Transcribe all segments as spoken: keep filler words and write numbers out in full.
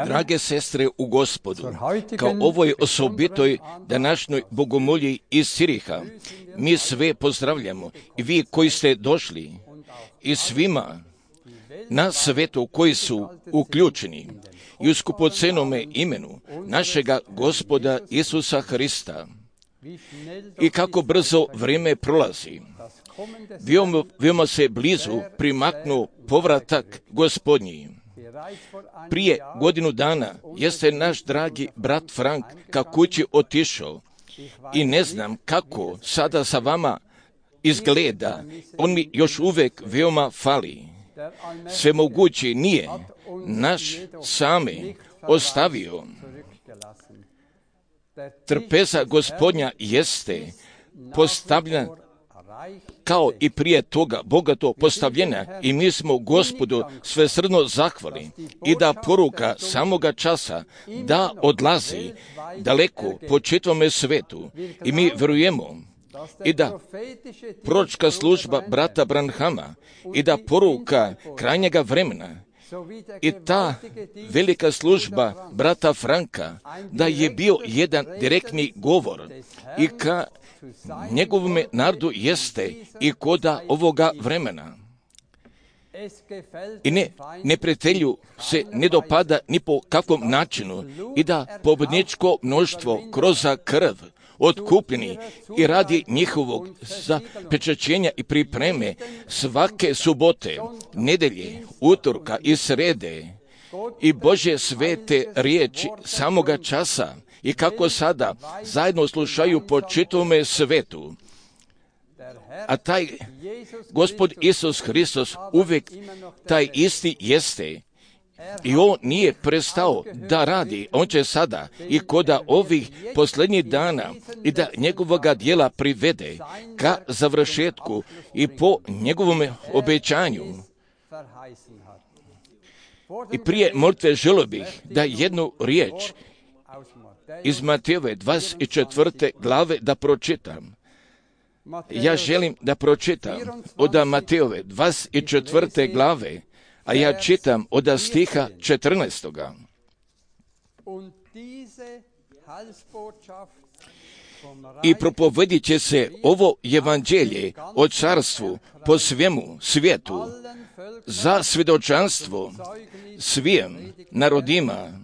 Drage sestre u Gospodu, kao ovoj osobitoj današnjoj bogomolji iz Ciriha, mi sve pozdravljamo i vi koji ste došli i svima na svetu koji su uključeni i u skupocenome imenu našega Gospoda Isusa Hrista. I kako brzo vrijeme prolazi, veoma, veoma se blizu primaknu povratak Gospodnji. Prije godinu dana jeste naš dragi brat Frank ka kući otišao i ne znam kako sada sa vama izgleda. On mi još uvijek veoma fali. Svemogući nije naš sami ostavio. trpeza Gospodnja jeste postavljena kao i prije toga bogato postavljena i mi smo Gospodu svesrdno zahvali i da poruka samoga časa da odlazi daleko po čitavome svetu i mi vjerujemo i da proročka služba brata Branhama i da poruka krajnjega vremena i ta velika služba brata Franka da je bio jedan direktni govor i ka njegovome narodu jeste i koda ovoga vremena. I ne, neprijatelju se ne dopada ni po kakvom načinu i da pobjedničko mnoštvo kroz krv otkupljeni i radi njihovog zapečaćenja i pripreme svake subote, nedelje, utorka i srede i Božje svete riječi samoga časa i kako sada zajedno slušaju po čitavome svetu. A taj Gospod Isus Hristos uvijek taj isti jeste i on nije prestao da radi. On će sada i koda ovih posljednjih dana i da njegovoga djela privede ka završetku i po njegovom obećanju. I prije molitve želio bih da jednu riječ iz Matejove dvadeset četvrte glave da pročitam. Ja želim da pročitam od Matejove dvadeset četvrte glave, a ja čitam od stiha četrnaestoga. I propovedit će se ovo evanđelje o carstvu po svemu svijetu za svjedočanstvo svim narodima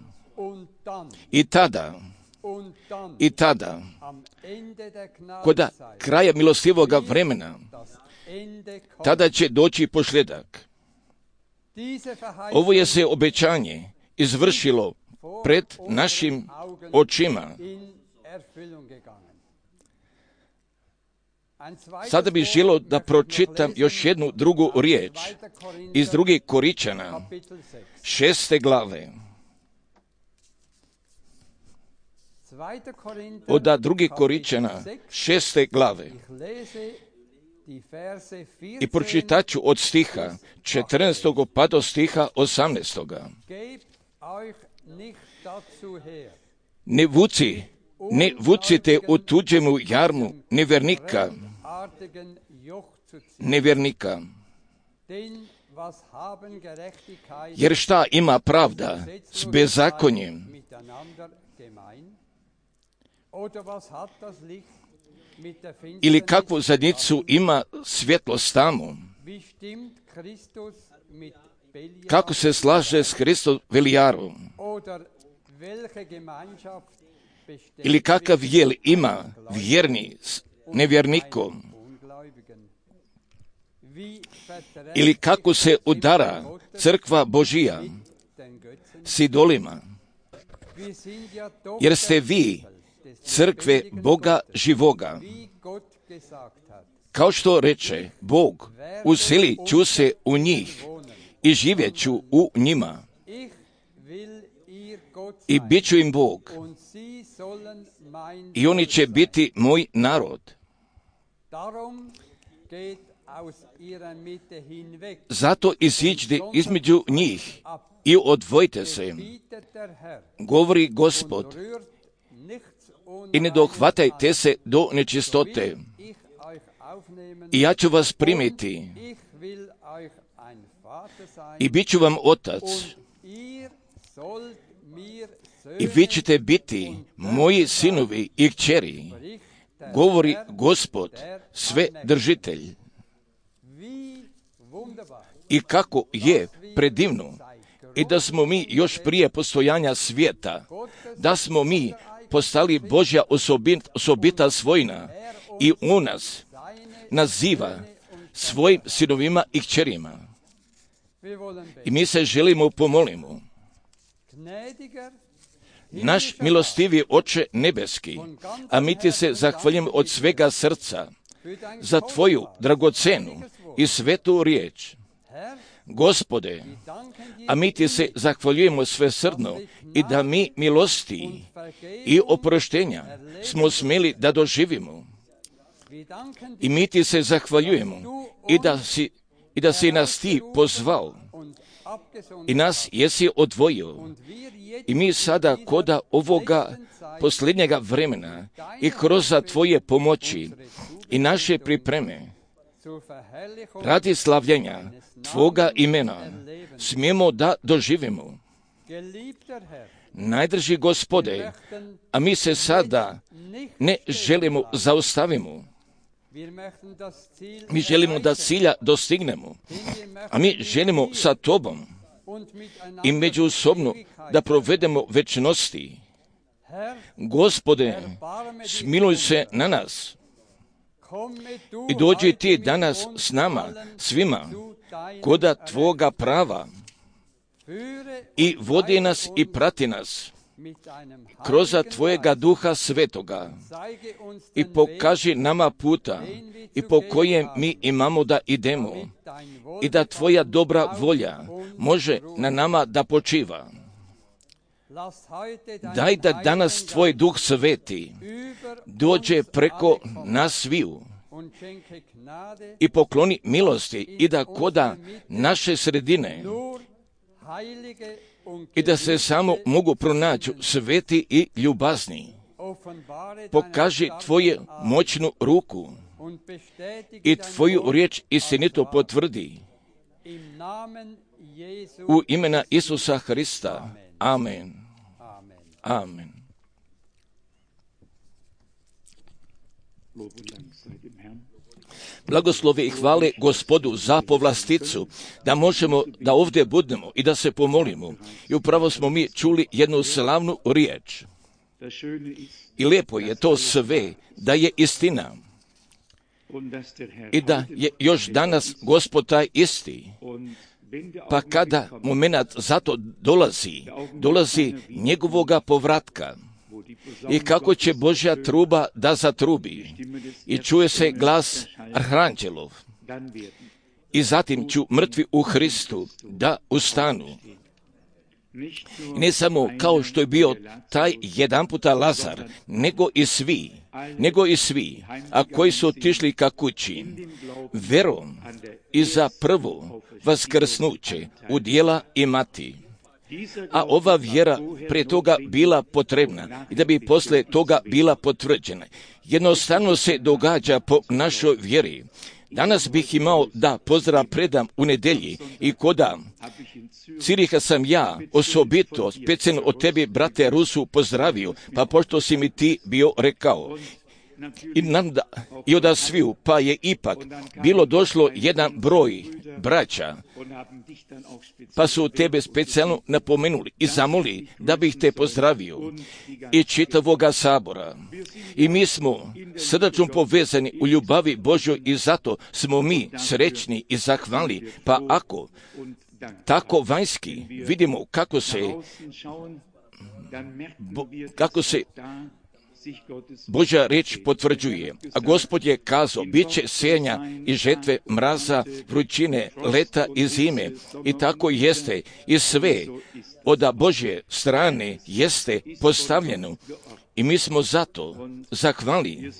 i tada i tada koda kraja milostivoga vremena tada će doći posljedak. Ovo je se obećanje izvršilo pred našim očima. Sada bih želio da pročitam još jednu drugu riječ iz drugih Koričana, šeste glave. Od drugih Koričana, šeste glave. I pročitat ću od stiha četrnaestog pa do stiha osamnaestog. Ne vuci, ne vucite u tuđemu jarmu nevjernika, nevjernika. Jer šta ima pravda s bezakonjem? Ili kakvu zadnicu ima svjetlost tamo? Kako se slaže s Hristom Velijarom? Ili kakav jel ima vjerni s nevjernikom? Ili kako se udara crkva Božija s idolima? Jer ste vi crkve Boga živoga. Kao što reče Bog, uselit ću se u njih i živjet ću u njima. I bit ću im Bog. I oni će biti moj narod. Zato iziđite između njih i odvojite se, govori Gospod, i ne dohvatajte se do nečistote. I ja ću vas primiti i bit ću vam otac. I vi ćete biti moji sinovi i kćeri, govori Gospod, sve držitelj. I kako je predivno i da smo mi još prije postojanja svijeta, da smo mi postali Božja osobita, osobita svojina i u nas naziva svojim sinovima i kćerima. I mi se želimo pomolimo. Naš milostivi Oče nebeski, a mi ti se zahvaljujemo od svega srca za tvoju dragocenu i svetu riječ. Gospode, a mi ti se zahvaljujemo svesrdno i da mi milosti i oproštenja smo smjeli da doživimo. I mi ti se zahvaljujemo i da si, i da si nas ti pozvao i nas jesi odvojio. I mi sada koda ovoga posljednjega vremena i kroz tvoje pomoći i naše pripreme radi slavljenja tvoga imena smijemo da doživimo. Najdrži Gospode, a mi se sada ne želimo zaustavimo. Mi želimo da cilja dostignemo, a mi želimo sa tobom i međusobno da provedemo večnosti. Gospode, smiluj se na nas i dođi ti danas s nama, svima, koda tvoga prava i vodi nas i prati nas kroz tvojega duha svetoga i pokaži nama puta i po kojem mi imamo da idemo i da tvoja dobra volja može na nama da počiva. Daj da danas tvoj duh sveti dođe preko nas sviju i pokloni milosti i da koda naše sredine i da se samo mogu pronaći sveti i ljubazni. Pokaži tvoju moćnu ruku i tvoju riječ istinito potvrdi. U imena Isusa Hrista. Amen. Amen. Blagoslove i hvale Gospodu za povlasticu, da možemo da ovdje budemo i da se pomolimo. I upravo smo mi čuli jednu slavnu riječ. I lijepo je to sve, da je istina. I da je još danas Gospod taj isti. Pa kada moment za to dolazi, dolazi njegovoga povratka. I kako će Božja truba da zatrubi. I čuje se glas arhanđelov. I zatim ću mrtvi u Hristu da ustanu. I ne samo kao što je bio taj jedan puta Lazar, nego i svi, nego i svi, a koji su otišli ka kući, verom i za prvo vaskrsnuće udjela imati. A ova vjera prije toga bila potrebna i da bi poslije toga bila potvrđena. Jednostavno se događa po našoj vjeri. Danas bih imao da pozdrav predam u nedelji i koda Ciriha sam ja osobito specijalno od tebi, brate Rusu, pozdravio, pa pošto si mi ti bio rekao. I, nanda, i od sviju, pa je ipak bilo došlo jedan broj braća, pa su tebe specijalno napomenuli i zamoli da bih te pozdravio i čitavoga sabora. I mi smo srdačno povezani u ljubavi Božjoj i zato smo mi srećni i zahvalni. Pa ako tako vanjski vidimo kako se bo, kako se Božja riječ potvrđuje, a Gospod je kazao, bit će sejanja i žetve, mraza, vrućine, leta i zime. I tako jeste. I sve od Božje strane jeste postavljeno. I mi smo zato zahvali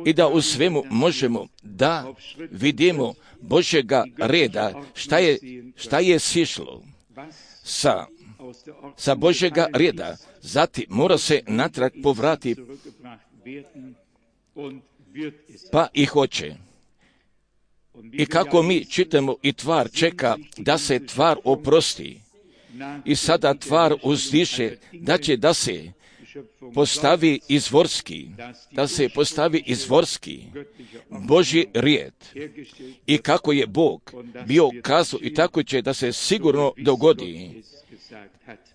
i da u svemu možemo da vidimo Božjega reda, šta je, šta je sišlo sa sa Božjega reda, zatim mora se natrag povrati, pa i hoće. I kako mi čitamo i tvar čeka da se tvar oprosti i sada tvar uzdiše da će da se postavi izvorski, da se postavi izvorski Božji rijed. I kako je Bog bio kazao i tako će da se sigurno dogodi.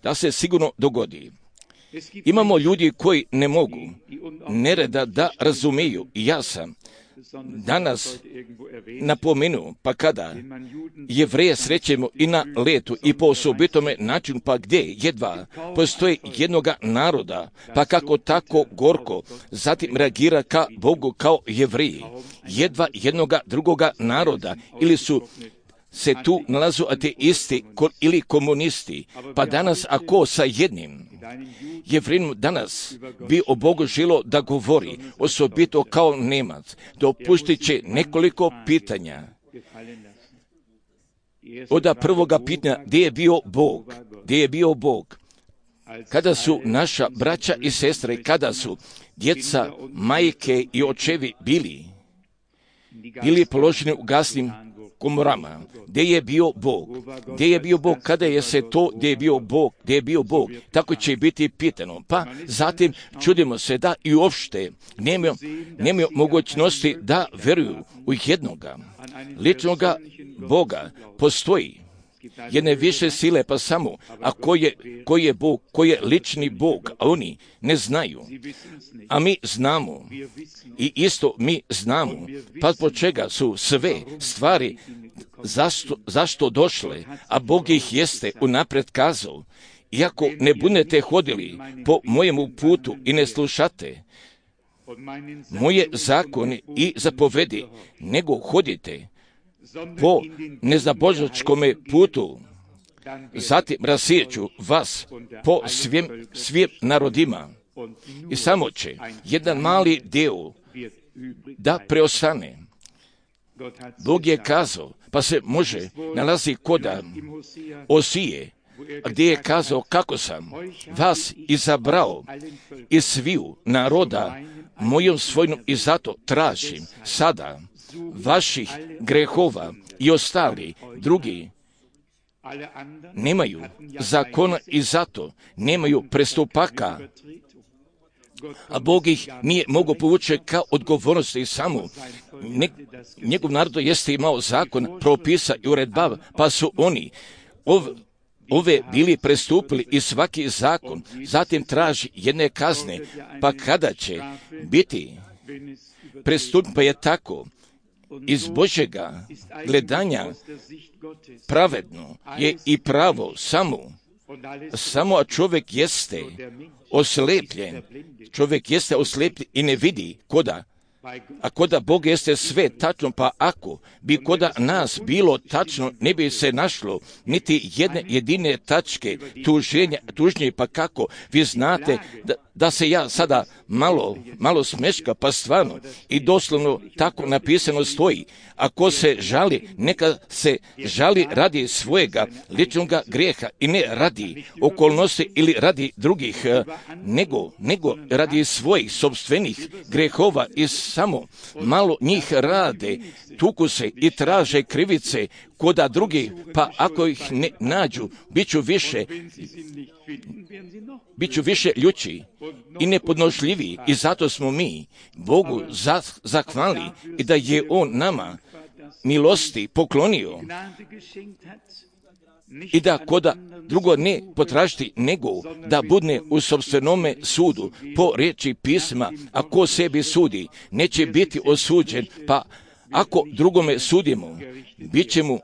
Da se sigurno dogodi. Imamo ljudi koji ne mogu nereda da razumiju. I ja sam danas napomenuo, pa kada Jevreje srećemo i na letu i po osobitome načinu, pa gdje jedva postoji jednoga naroda, pa kako tako gorko zatim reagira ka Bogu kao Jevreji, jedva jednoga drugoga naroda, ili su se tu nalazu ateisti ili komunisti, pa danas ako sa jednim Jevrinom danas bi o Bogu želo da govori, osobito kao Nemac, dopustit će nekoliko pitanja. Od prvoga pitanja, gdje je bio Bog? Gdje je bio Bog? Kada su naša braća i sestre, kada su djeca, majke i očevi bili, bili položeni u gasnim komorama, gdje je bio Bog? Gdje je bio Bog? Kada je se to, gdje je bio Bog? Gdje je bio Bog? Tako će biti pitano. Pa zatim čudimo se da i uopšte nemaju, nemaju mogućnosti da veruju u jednoga ličnoga Boga. Postoji jedne više sile, pa samo, a ko je, ko je Bog, ko je lični Bog, a oni ne znaju. A mi znamo, i isto mi znamo, pa po čega su sve stvari zašto, zašto došle, a Bog ih jeste unaprijed kazao. Iako ne budete hodili po mojemu putu i ne slušate moje zakone i zapovedi, nego hodite po nezabožačkome putu, zatim rasijeću vas po svim, svim narodima i samo će jedan mali dio da preostane. Bog je kazao, pa se može nalazi koda Osije, gdje je kazao kako sam vas izabrao iz sviju naroda mojom svojom i zato tražim sada vaših grehova i ostali drugi nemaju zakona i zato nemaju prestupaka, a Bog ih nije mogao povući kao odgovornosti i samo. Ne, njegov narod jeste imao zakon, propisa i uredba, pa su oni ov, ove bili prestupili i svaki zakon, zatim traži jedne kazne, pa kada će biti prestup, pa je tako. Iz Božjega gledanja pravedno je i pravo samo, samo a čovjek jeste oslepljen, čovjek jeste oslepljen i ne vidi koda, a koda Bog jeste sve tačno, pa ako bi koda nas bilo tačno, ne bi se našlo niti jedne jedine tačke tuženja, tužnje, pa kako vi znate da, da se ja sada malo, malo smeška, pa stvarno i doslovno tako napisano stoji. Ako se žali, neka se žali radi svojega ličnoga grijeha i ne radi okolnosti ili radi drugih, nego, nego radi svojih sopstvenih grehova i samo malo njih rade, tuku se i traže krivice koda drugi, pa ako ih ne nađu, bit ću više, bit ću više ljući i nepodnošljiviji i zato smo mi Bogu zahvali i da je On nama milosti poklonio i da koda drugo ne potražiti nego da budne u sopstvenome sudu po riječi pisma, a ko sebi sudi neće biti osuđen, pa ako drugome sudimo bit će mu,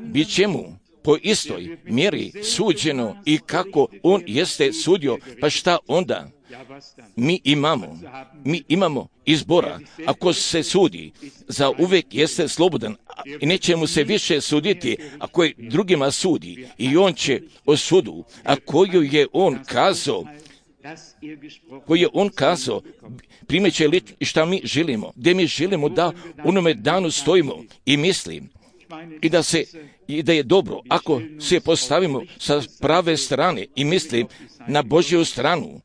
bit će mu po istoj mjeri suđeno i kako on jeste sudio, pa šta onda? Mi imamo, mi imamo izbora. Ako se sudi, za uvijek jeste slobodan i neće mu se više suditi ako je drugima sudi i on će o sudu, a koju je on kazao, koji je on kazao, primeće li šta mi želimo, gdje mi želimo da onome danu stojimo i mislim i da se i da je dobro ako se postavimo sa prave strane i mislim na Božju stranu,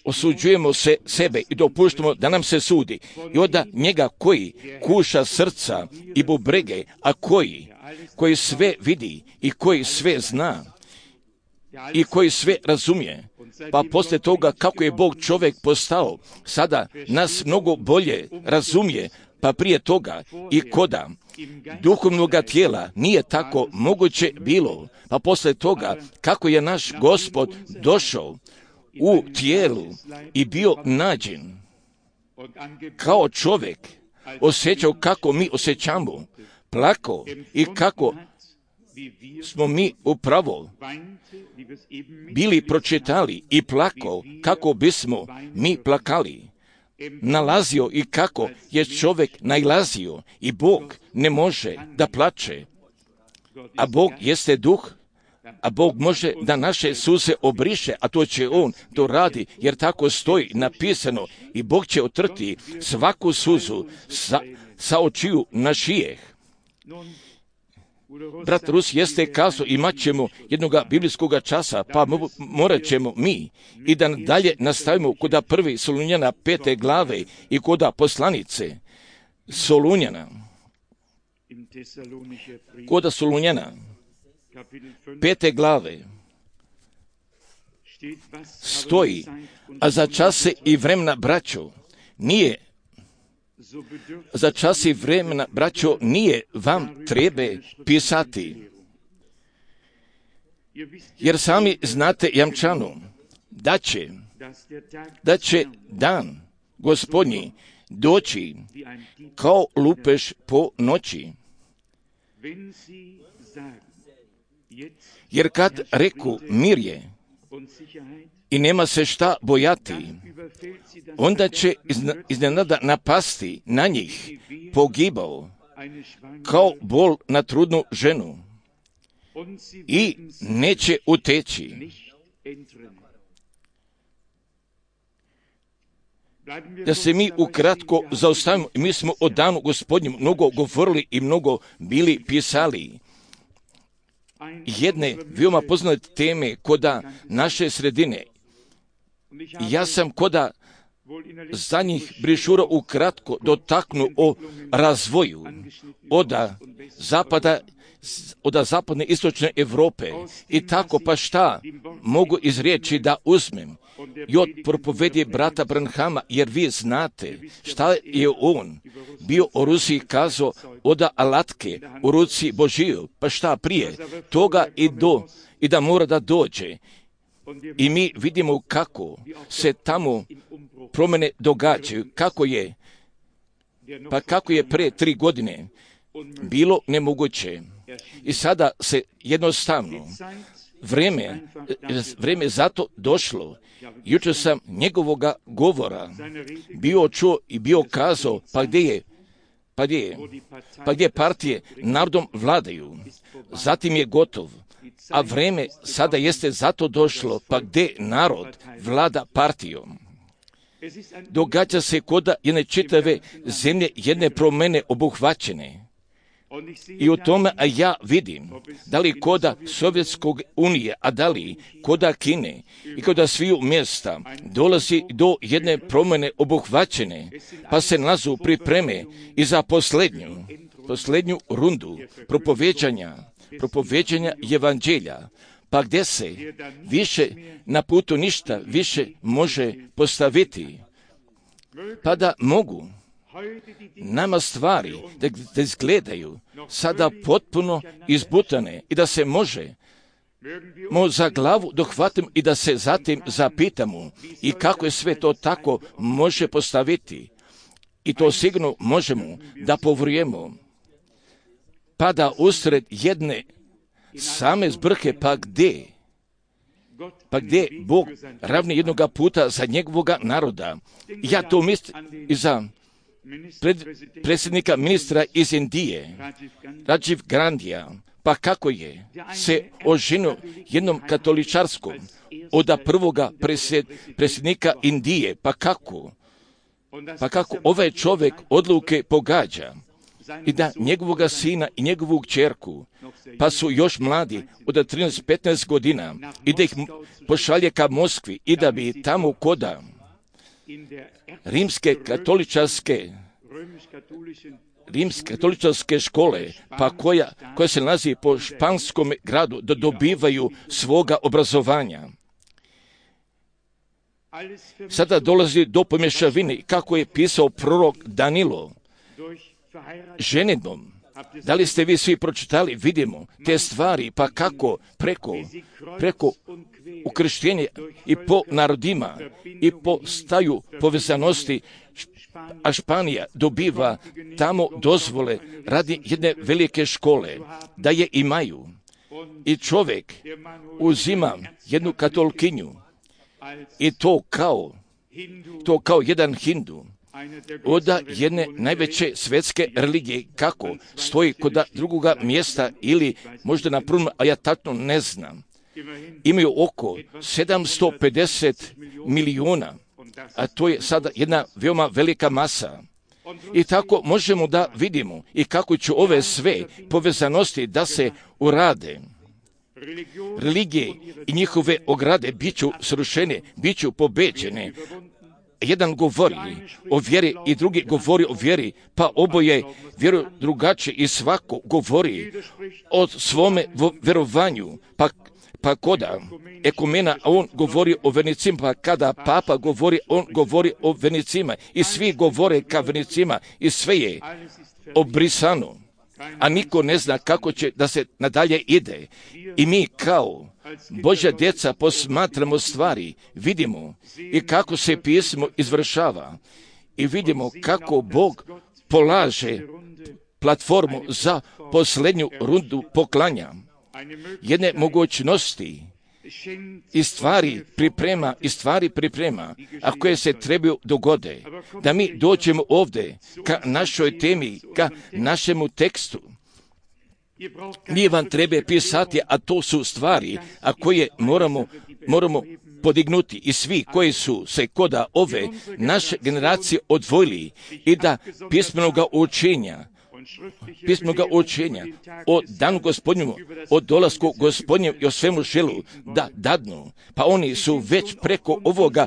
osuđujemo se sebe i dopuštamo da nam se sudi i onda njega koji kuša srca i bubrege, a koji koji sve vidi i koji sve zna i koji sve razumije, pa poslije toga kako je Bog čovjek postao, sada nas mnogo bolje razumije, pa prije toga i koda duhovnoga tijela nije tako moguće bilo, pa poslije toga kako je naš Gospod došao u tijelu i bio nađen kao čovjek, osjećao kako mi osjećamo, plakao i kako smo mi upravo bili pročitali i plakao kako bismo mi plakali. nalazio i kako je čovjek nailazio i Bog ne može da plače, a Bog jeste duh, a Bog može da naše suze obriše, a to će On to radi, jer tako stoji napisano i Bog će otrti svaku suzu sa, sa očiju našijeh. Brat Rus jeste kazao, imat ćemo jednoga biblijskog časa, pa morat ćemo mi i da dalje nastavimo koda prvi Solunjana pete glave i koda poslanice Solunjana. Koda Solunjana pete glave stoji, a za čase i vremena, braćo, nije za čas i vremena, braćo, nije vam trebe pisati. Jer sami znate jamčanu da će, da će dan Gospodnji doći kao lupež po noći. Jer kad reku mir je i nema se šta bojati, onda će iznenada napasti na njih pogibao kao bol na trudnu ženu i neće uteći. Da se mi ukratko zaustavimo, mi smo o danu Gospodnjem mnogo govorili i mnogo bili pisali. Jedne veoma poznate teme koda naše sredine. Ja sam koda za njih brišura ukratko dotaknu o razvoju od zapada, od zapadne istočne Europe i tako pa šta mogu iz riječi da uzmem i od propovedi brata Branhama, jer vi znate šta je on bio o Rusiji kazao od alatke u ruci Božiju, pa šta prije toga i do i da mora da dođe. I mi vidimo kako se tamo promjene događaju, kako je, pa kako je pre tri godine bilo nemoguće. I sada se jednostavno vreme, vreme zato došlo. Jučer sam njegovoga govora bio čuo i bio kazao, pa gdje je, pa gdje je, pa gdje partije narodom vladaju, zatim je gotov. A vreme sada jeste zato došlo, pa gdje narod vlada partijom. Događa se koda jedne čitave zemlje, jedne promjene obuhvaćene. I u tome a ja vidim, da li koda Sovjetskog unije, a da li koda Kine i koda sviju mjesta dolazi do jedne promjene obuhvaćene, pa se nazu pripreme i za posljednju, posljednju rundu propoveđanja, propoveđanja evanđelja, pa gdje se više na putu ništa više može postaviti, pa da mogu nama stvari da, da izgledaju sada potpuno izbutane i da se može mo za glavu dohvatimo i da se zatim zapitamo i kako je sve to tako može postaviti. I to sigurno možemo da povrijemo. Pa da usred jedne same zbrke, pa gdje? Pa gdje Bog ravni jednoga puta za njegovoga naroda. Ja to mislim i za pred, predsjednika ministra iz Indije, Rajiv Gandhija, pa kako je se oženio jednom katoličarskom od prvoga predsjed, predsjednika Indije, pa kako? Pa kako ovaj čovjek odluke pogađa i da njegovoga sina i njegovu kćerku, pa su još mladi od trinaest do petnaest godina, i da ih pošalje ka Moskvi i da bi tamo koda rimske katoličarske rimske katoličarske škole, pa koja, koja se nalazi po španskom gradu, da dobivaju svoga obrazovanja. Sada dolazi do pomješavine, kako je pisao prorok Danilo, ženidbom. Da li ste vi svi pročitali? Vidimo te stvari, pa kako preko, preko ukrštenja i po narodima i po staju povezanosti, a Španija dobiva tamo dozvole radi jedne velike škole, da je imaju. I čovjek uzima jednu katolkinju i to kao to kao jedan Hindu od jedne najveće svetske religije, kako stoji kod drugoga mjesta ili možda na prvom, a ja tačno ne znam. Imaju oko sedamsto pedeset milijuna, a to je sada jedna veoma velika masa. I tako možemo da vidimo i kako će ove sve povezanosti da se urade. Religije i njihove ograde bit ću srušene, bit ću pobeđene. Jedan govori o vjeri i drugi govori o vjeri, pa oboje vjeruju drugačije i svako govori o svome vjerovanju, pa Pa koda ekumena, on govori o vernicima, pa kada papa govori, on govori o vernicima i svi govore ka vernicima i sve je obrisano, a niko ne zna kako će da se nadalje ide. I mi kao Božja djeca posmatramo stvari, vidimo i kako se pismo izvršava i vidimo kako Bog polaže platformu za posljednju rundu poklanja. Jedne mogućnosti i stvari priprema, i stvari priprema, a koje se trebaju dogode, da mi dođemo ovdje ka našoj temi, ka našemu tekstu. Nije vam treba pisati, a to su stvari, a koje moramo, moramo podignuti i svi koji su se koda ove naše generacije odvojili i da pismenoga učenja, pismenoga učenja o danu Gospodnjemu, o dolasku Gospodnjem i o svemu želu da dadnu, pa oni su već preko ovoga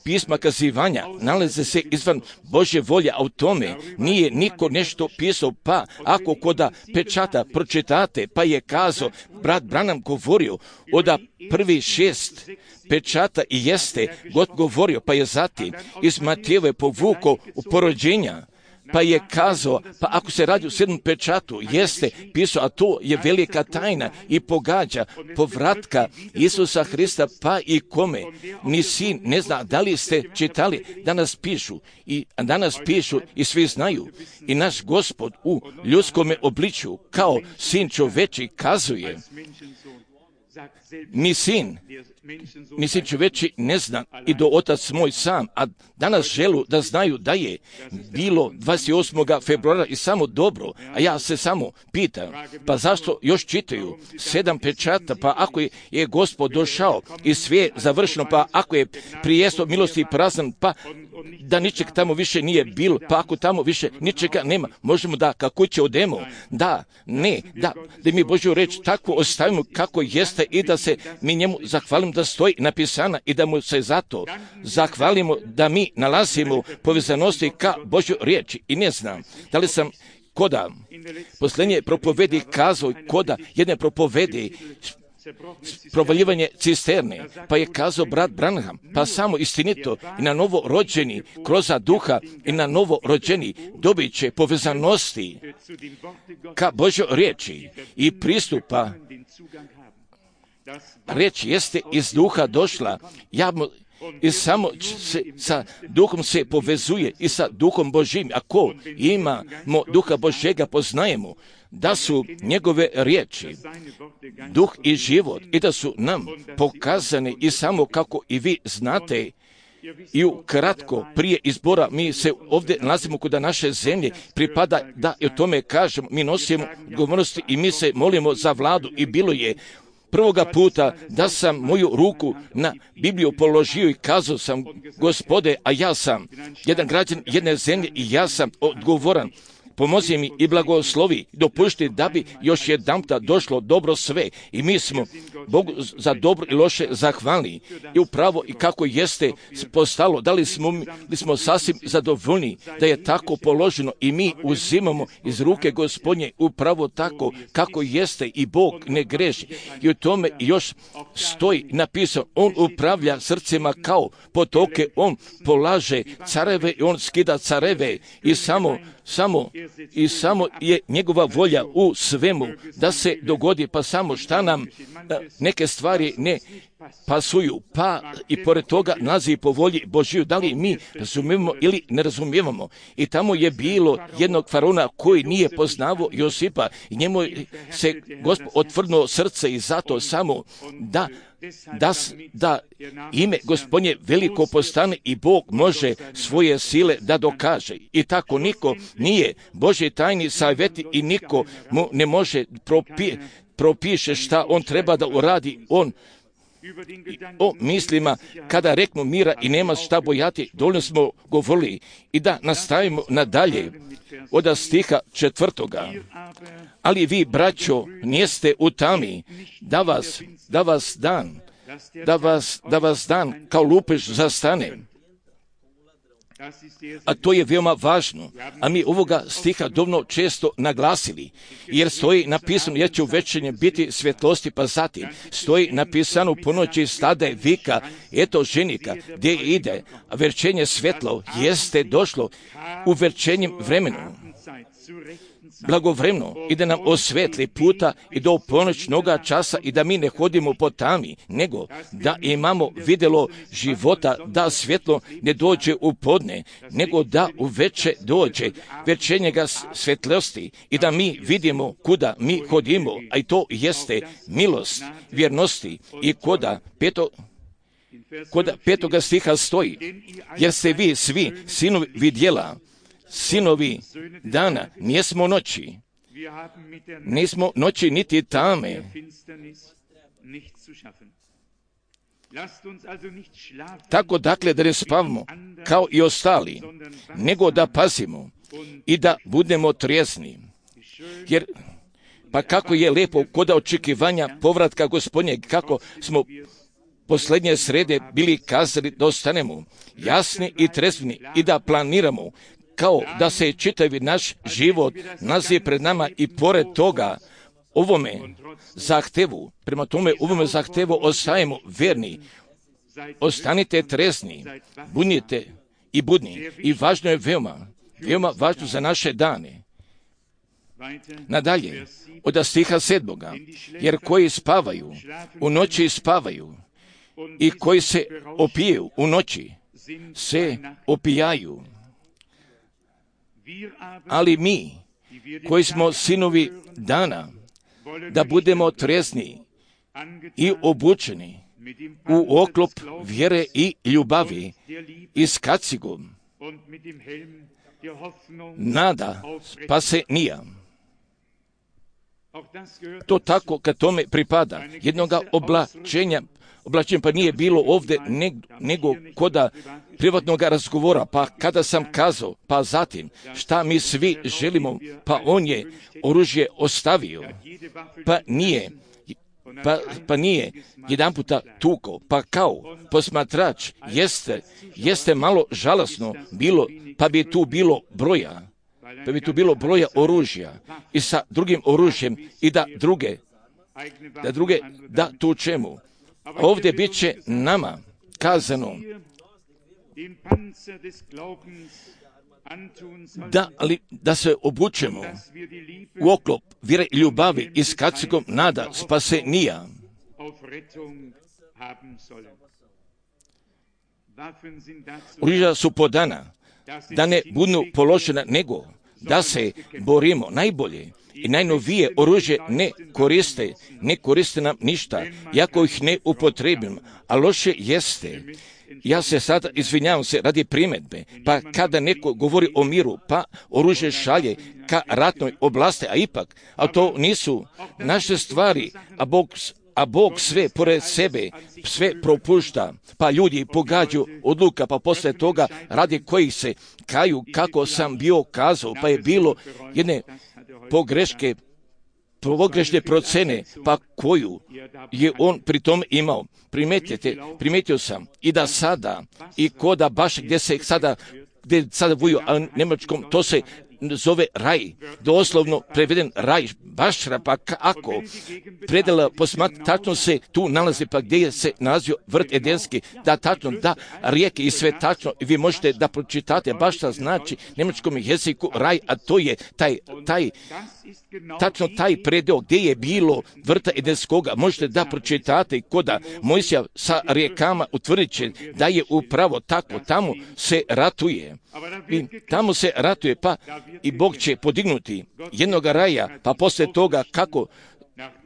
pisma kazivanja nalaze se izvan Božje volje, a u tome nije niko nešto pisao, pa ako koda pečata pročitate, pa je kazao, brat Branham govorio o da prvi šest pečata i jeste God govorio, pa je zatim iz Matijeve povukao u porođenja, pa je kazao, pa ako se radi o sedmom pečatu, jeste pisao, a to je velika tajna i pogađa povratka Isusa Hrista, pa i kome ni sin ne zna. Da li ste čitali, danas pišu i danas pišu i svi znaju. I naš Gospod u ljudskome obličju kao sin čoveči kazuje, ni sin, ni sin čoveči ne zna i do otac moj sam, a danas želu da znaju da je bilo dvadeset osmog februara i samo dobro, a ja se samo pitam, pa zašto još čitaju sedam pečata, pa ako je, je Gospod došao i sve završeno, pa ako je prijesto milosti prazan, pa da ničeg tamo više nije bilo, pa ako tamo više ničega nema, možemo da kako će odemo, da, ne, da, da mi Božju reč tako ostavimo kako jeste i da se mi njemu zahvalimo da stoji napisana i da mu se zato zahvalimo da mi nalazimo povezanosti ka Božju riječi. I ne znam, da li sam koda posljednje propovedi kazao, koda jedne propovedi provaljivanje cisterne, pa je kazao brat Branham, pa samo istinito i na novo rođeni kroz duha i na novo rođeni dobit će povezanosti ka Božjoj riječi i pristupa. Riječ jeste iz duha došla, javno i samo se, sa duhom se povezuje i sa duhom Božjim. Ako imamo duha Božjega, poznajemo da su njegove riječi duh i život i da su nam pokazane i samo kako i vi znate. I ukratko, prije izbora mi se ovdje nalazimo kod naše zemlje, pripada da i o tome kažemo, mi nosimo odgovornosti i mi se molimo za vladu i bilo je prvoga puta da sam moju ruku na Bibliju položio i kazao sam, Gospode, a ja sam jedan građan jedne zemlje i ja sam odgovoran. Pomozi mi i blagoslovi, dopušti da bi još jedanputa došlo dobro sve. I mi smo Bogu za dobro i loše zahvalni. I upravo i kako jeste postalo, da li smo, li smo sasvim zadovoljni da je tako položeno i mi uzimamo iz ruke Gospodnje upravo tako kako jeste i Bog ne greši. I u tome još stoji napisano, on upravlja srcima kao potoke, on polaže careve i on skida careve i samo Samo i samo je njegova volja u svemu da se dogodi, pa samo šta nam neke stvari ne pasuju, pa i pored toga nalazi po volji Božiju. Da li mi razumijemo ili ne razumijevamo? I tamo je bilo jednog faraona koji nije poznavao Josipa i njemu se Gospod otvrnuo srce i zato samo da Da, da ime Gospodnje veliko postane i Bog može svoje sile da dokaže. I tako niko nije Božji tajni savjeti i niko mu ne može propi, propiše šta on treba da uradi. On o mislima, kada reknu mira i nema šta bojati, dovoljno smo govorili. I da nastavimo nadalje od stiha četvrtoga. Ali vi, braćo, nijeste u tami, da vas, da vas dan, da vas, da vas dan kao lupež zastane. A to je veoma važno, a mi ovoga stiha dovoljno često naglasili, jer stoji napisano, jer će u večernjem biti svjetlosti, pa zatim stoji napisano po noći stade vika, eto ženika, gdje ide, a večernje svjetlo jeste došlo u večernjem vremenu, blagovremeno, i da nam osvetli puta i do ponoćnoga časa i da mi ne hodimo po tami, nego da imamo vidjelo života, da svjetlo ne dođe u podne, nego da u veče dođe večernjega svjetlosti i da mi vidimo kuda mi hodimo, a i to jeste milost, vjernosti i koda peto, koda petoga stiha stoji, jer ste vi svi sinovi vidjela, sinovi dana, nijesmo noći, nismo noći niti tame. Tako dakle da ne spavamo kao i ostali, nego da pazimo i da budemo trijezni. Jer pa kako je lijepo kod očekivanja povratka Gospodnjeg, kako smo posljednje srede bili kazali da ostanemo jasni i trezveni i da planiramo, kao da se čitavi naš život nalazi pred nama i pored toga ovome zahtevu, prema tome ovome zahtevu ostajemo verni, ostanite trezni, budnite i budni. I važno je veoma, veoma važno za naše dane. Nadalje, od stiha sedmoga, jer koji spavaju, u noći spavaju, i koji se opijaju u noći, se opijaju. Ali mi, koji smo sinovi dana, da budemo trezni i obučeni u oklop vjere i ljubavi i s kacigom nada spasenija. To tako kad tome pripada jednoga oblačenja, oblačenja pa nije bilo ovdje nego koda privatnog razgovora, pa kada sam kazao, pa zatim šta mi svi želimo, pa on je oružje ostavio, pa nije, pa, pa nije jedan puta tuko, pa kao posmatrač jeste, jeste malo žalosno bilo, pa bi tu bilo broja, pa bi tu bilo broja oružja i sa drugim oružjem i da druge, da druge, da tu čemu. Ovdje bit će nama kazano da, ali, da se obučemo u oklop vjere i ljubavi i s kacigom nada spasenija. Oružja su podana da ne budu položena, nego da se borimo najbolje i najnovije oružje ne koriste, ne koriste nam ništa, jako ih ne upotrebimo, a loše jeste. Ja se sada izvinjavam se radi primjedbe, pa kada neko govori o miru, pa oružje šalje ka ratnoj oblasti, a ipak, a to nisu naše stvari, a Bog, a Bog sve pored sebe, sve propušta, pa ljudi pogađaju odluka, pa poslije toga radi kojih se kaju, kako sam bio kazao, pa je bilo jedne pogreške, pogrešne procene, pa koju je on pri tom imao. Primetite, primetio sam i da sada, i koda baš gdje se sada, gdje sada vuju, a njemačkom, to se zove raj, doslovno preveden raj, bašra, pa kako predala posmat, tačno se tu nalazi, pa gdje je se nalazio vrt Edenski, da tačno, da rijeke i sve tačno, i vi možete da pročitate, bašra znači njemačkom jeziku raj, a to je taj, taj, tačno taj predeo gdje je bilo vrta Edenskoga, možete da pročitate koda Mojsija sa rijekama utvrdit će da je upravo tako, tamo se ratuje. I tamo se ratuje, pa i Bog će podignuti jednog raja, pa poslije toga kako,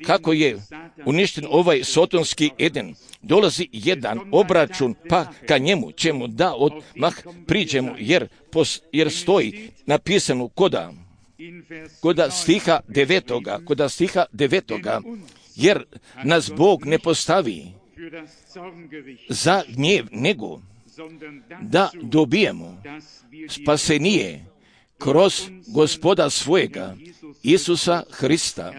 kako je uništen ovaj sotonski Eden, dolazi jedan obračun, pa ka njemu ćemo da odmah priđemo, jer, pos, jer stoji napisano koda, koda stiha devetoga, koda stiha devetoga, jer nas Bog ne postavi za gnjev, nego da dobijemo spasenije kroz Gospoda svojega, Isusa Hrista.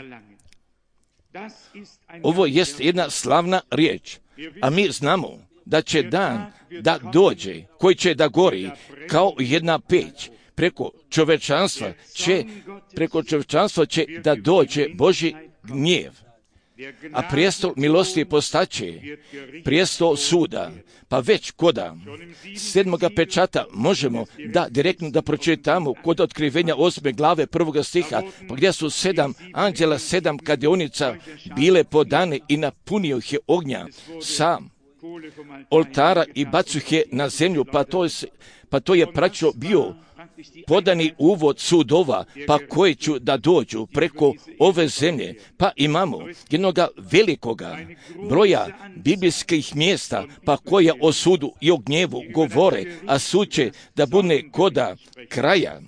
Ovo jest jedna slavna riječ, a mi znamo da će dan da dođe, koji će da gori kao jedna peć. Preko čovečanstva će, preko čovečanstva će da dođe Božji gnjev. A prijestol milosti postaće prijestol suda, pa već koda sedmoga pečata možemo da direktno da pročitamo kod otkrivenja osme glave prvoga stiha, pa gdje su sedam anđela, sedam kadionica bile podane i napunio ih je ognja sa oltara i bacu ih je na zemlju, pa to je, pa to je praktično bio podani uvod sudova, pa koji ću da dođu preko ove zemlje, pa imamo jednoga velikoga broja biblijskih mjesta, pa koja o sudu i o gnjevu govore, a sud će da bude koda kraja.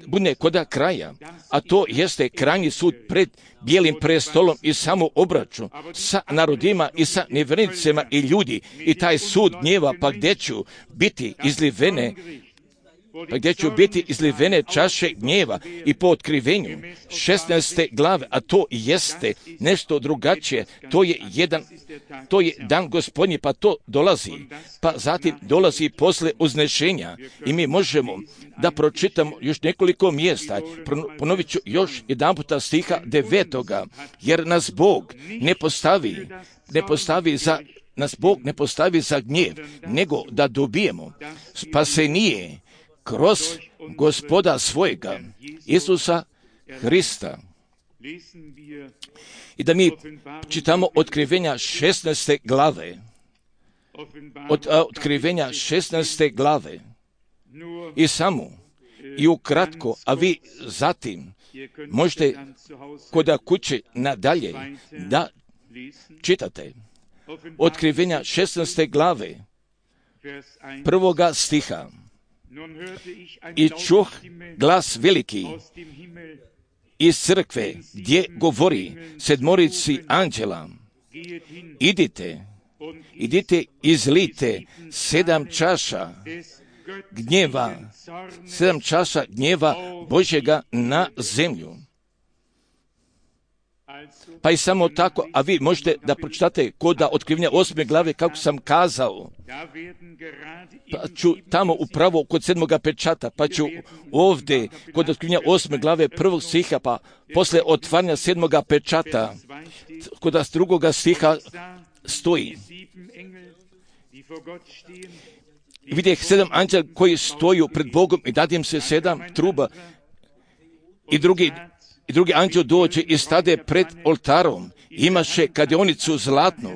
Bude koda kraja, a to jeste krajnji sud pred bijelim prestolom i samo obračun sa narodima i sa nevjernicima i ljudi, i taj sud gnjeva, pa gdje ću biti izlivene pa gdje ću biti izlivene čaše gnjeva, i po otkrivenju šesnaeste glave, a to jeste nešto drugačije, to je jedan, to je dan Gospodnji, pa to dolazi, pa zatim dolazi posle uznešenja, i mi možemo da pročitamo još nekoliko mjesta. Ponovit ću još jedan puta stiha devetoga, jer nas Bog ne postavi, ne postavi za nas Bog ne postavi za gnjev, nego da dobijemo spasenije kroz Gospoda svojega, Isusa Hrista. I da mi čitamo otkrivenja šesnaeste glave, od a, otkrivenja šesnaeste glave, i samo, i ukratko, a vi zatim možete koda kuće nadalje da čitate. Otkrivenja šesnaeste glave, prvoga stiha. I čuh glas veliki iz crkve, gdje govori sedmorici anđela: idite, idite, izlite sedam čaša gnjeva, sedam čaša gnjeva Božjega na zemlju. Pa i samo tako, a vi možete da pročitate koda otkrivenja osme glave, kako sam kazao, pa ću tamo upravo kod sedmoga pečata, pa ću ovdje kod otkrivenja osme glave prvog stiha, pa posle otvaranja sedmoga pečata, kod drugoga stiha stoji: vidjeh sedam anđela koji stoju pred Bogom i dadim se sedam truba, i drugi I drugi anđel dođe i stade pred oltarom, imaše kadionicu zlatnu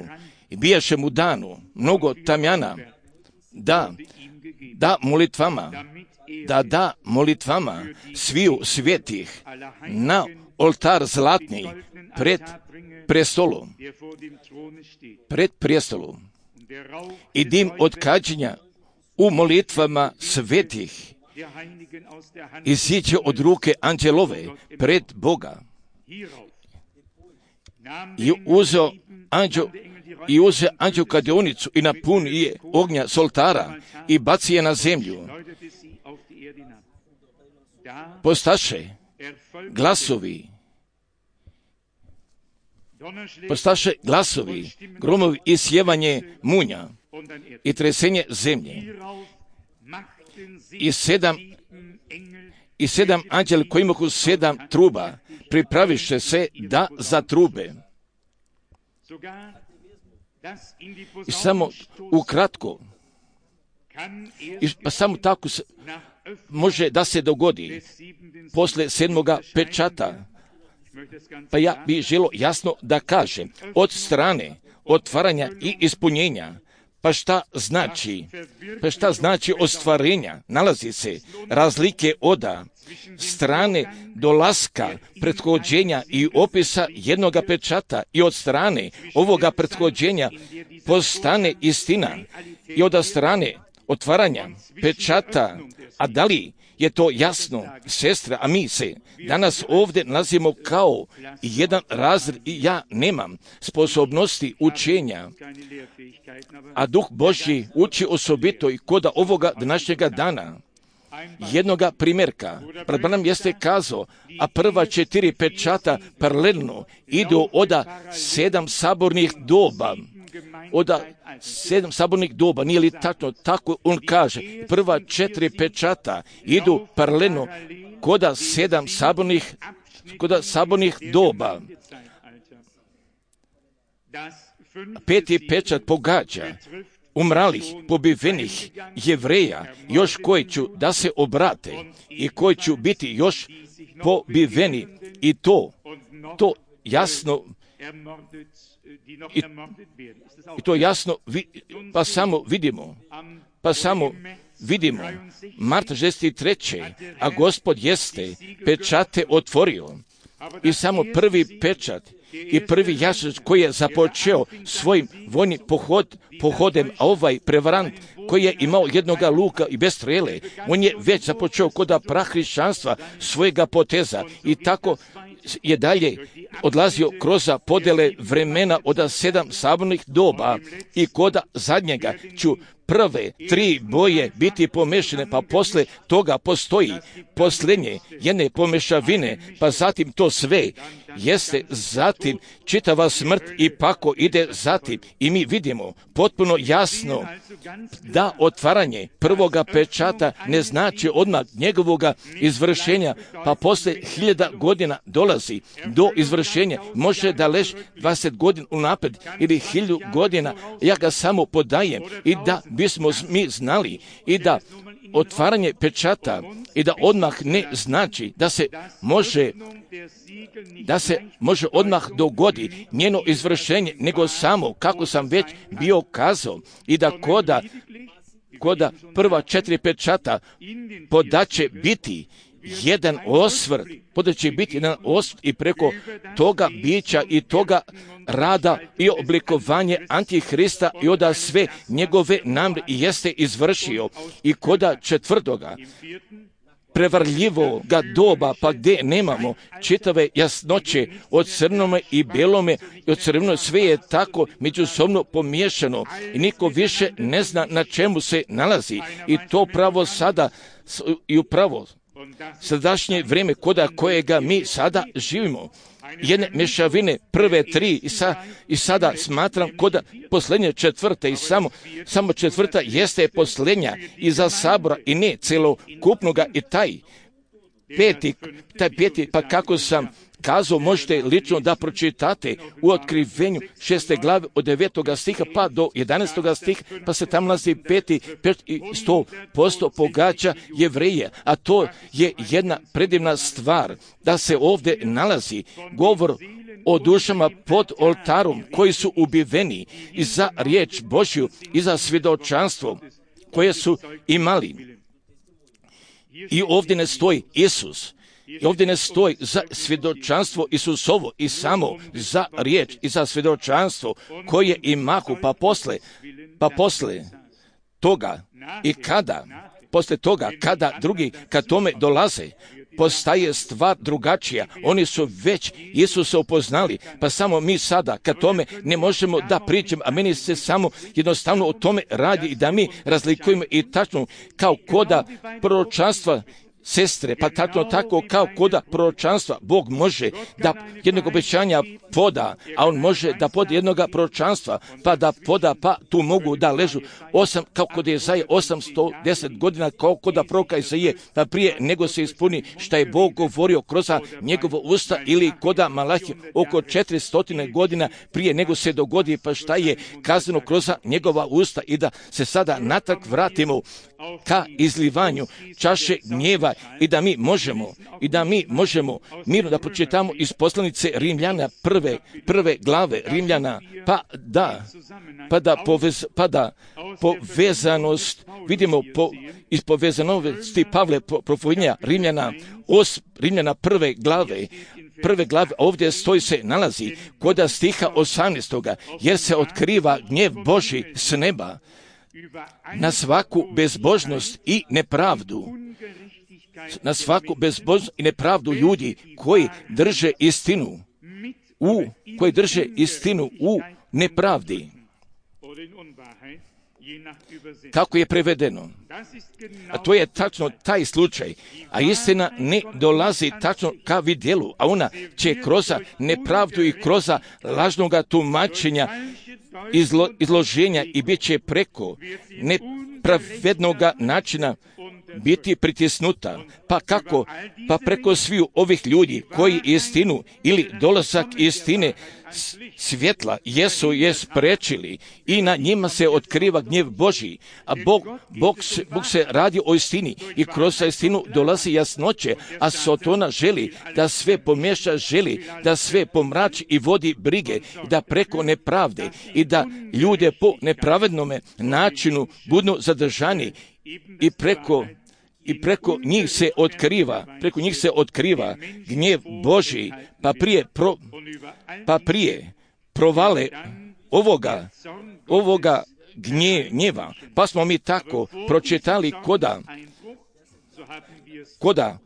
i bijaše mu danu mnogo tamjana, da, da molitvama, da da molitvama sviju svetih na oltar zlatni pred prestolom, pred prestolom, i dim od kađenja u molitvama svetih iziće od ruke anđelove pred Boga. I uzeo anđel, i uzeo anđel kadionicu i napuni je ognja s oltara i baci je na zemlju. Postaše glasovi, postaše glasovi, gromovi i sjevanje munja i tresenje zemlje. I sedam, i sedam anđela koji imaju sedam truba, pripraviše se da zatrube. I samo ukratko, i pa samo tako se, može da se dogodi posle sedmoga pečata. Pa ja bih želio jasno da kažem, od strane otvaranja i ispunjenja, pa šta znači? Pa šta znači ostvarenja? Nalazi se razlike oda strane dolaska, prethođenja i opisa jednoga pečata i od strane ovoga prethođenja postane istina i od strane otvaranja pečata. A da li je to jasno, sestra, a mi se danas ovdje nalazimo kao jedan razred i ja nemam sposobnosti učenja, a Duh Božji uči osobito i kod ovoga današnjega dana. Jednoga primjerka, pred nam jeste kazao, a prva četiri pečata paralelno idu od sedam sabornih doba. Od sedam sabornih doba, nije li tačno? Tako on kaže. Prva četiri pečata idu paralelno kod sedam sabornih, kod sabornih doba. Peti pečat pogađa umralih, pobivenih Jevreja, još koji ću da se obrate i koji ću biti još pobiveni. I to, to jasno I, i to jasno, vi, pa samo vidimo, pa samo vidimo, marta šezdeset treće a Gospod jeste pečate otvorio i samo prvi pečat i prvi jašač koji je započeo svojim vojnim pohod, pohodem, a ovaj prevarant koji je imao jednoga luka i bez strele, on je već započeo kod prahrišćanstva svojega poteza i tako je dalje odlazio kroz podele vremena od sedam sabornih doba i kod zadnjega ću prve tri boje biti pomešane, pa posle toga postoji posljednje jedne pomešavine, pa zatim to sve jeste zatim čitava smrt i pako ide zatim. I mi vidimo potpuno jasno da otvaranje prvoga pečata ne znači odmah njegovoga izvršenja, pa posle hiljada godina dolazi do izvršenja. Može da leži dvadeset godina unapred ili hiljadu godina, ja ga samo podajem i da bismo mi znali i da otvaranje pečata i da odmah ne znači da se može da se može odmah dogodi njeno izvršenje, nego samo, kako sam već bio kazao, i da koda, koda prva četiri pečata podaće biti jedan osvrt, podaće biti jedan osvrt i preko toga bića i toga rada i oblikovanje Antihrista i oda sve njegove namre i jeste izvršio. I koda četvrtoga prevarljivoga doba, pa gdje nemamo čitave jasnoće od crnome i belome i od crvenome, sve je tako međusobno pomiješano i niko više ne zna na čemu se nalazi. I to pravo sada i upravo sadašnje vrijeme koda kojega mi sada živimo, jedne mješavine prve tri i, sa, i sada smatram koda posljednje četvrte i samo, samo četvrta jeste posljednja iza sabora i ne celokupnoga i taj peti, taj peti, pa kako sam kazao, možete lično da pročitate u otkrivenju šeste glave od devetoga stiha pa do jedanaestoga stiha, pa se tam nalazi peti, pet i sto posto pogađa Jevreje, a to je jedna predivna stvar, da se ovdje nalazi govor o dušama pod oltarom koji su ubiveni i za riječ Božju i za svjedočanstvo koje su imali. I ovdje ne stoji Isus, i ovdje ne stoji za svjedočanstvo Isusovo i samo za riječ i za svjedočanstvo koje imahu, pa posle, pa posle toga i kada, posle toga kada drugi kad tome dolaze, postaje stvar drugačija. Oni su već Isusa upoznali, pa samo mi sada kad tome ne možemo da pričamo, a meni se samo jednostavno o tome radi i da mi razlikujemo i tačno kao koda proročanstva sestre, pa tako, tako kao koda proročanstva, Bog može da jednog obećanja poda, a On može da poda jednog proročanstva, pa da poda, pa tu mogu da ležu osam, kao kod Jezaje, osamsto deset godina, kao koda proroka Jezaje, pa prije nego se ispuni šta je Bog govorio kroz njegovo usta, ili koda Malahije oko četiristo godina prije nego se dogodi, pa šta je kazano kroz njegova usta, i da se sada natrag vratimo ka izlivanju čaše gnjeva, i da mi možemo, i da mi možemo mirno da pročitamo iz poslanice Rimljana prve, prve glave Rimljana, pa da, pa da, povez, pa da povezanost, vidimo po, iz povezanosti Pavle propovjedanja Rimljana, os, Rimljana prve glave, prve glave, ovdje stoji se nalazi koda stiha osamnaestoga, jer se otkriva gnjev Božji s neba na svaku bezbožnost i nepravdu, na svaku bezbožnost i nepravdu ljudi koji drže istinu, u, koji drže istinu u nepravdi. Kako je prevedeno? A to je tačno taj slučaj. A istina ne dolazi tačno ka vidjelu, a ona će kroz nepravdu i kroz lažnoga tumačenja, izlo, izloženja i bit će preko nepravednoga načina biti pritisnuta. Pa kako? Pa preko sviju ovih ljudi koji istinu ili dolazak istine svjetla jesu je sprečili, i na njima se otkriva gnjev Božji. A Bog, Bog, se, Bog se radi o istini i kroz istinu dolazi jasnoće, a Sotona želi da sve pomješa, želi da sve pomrači i vodi brige, da preko nepravde i da ljude po nepravednome načinu budu zadržani, i preko I preko njih se otkriva, preko njih se otkriva gnjev Božji, pa prije, pro, pa prije provale ovoga, ovoga gnje, gnjeva. Pa smo mi tako pročitali koda, koda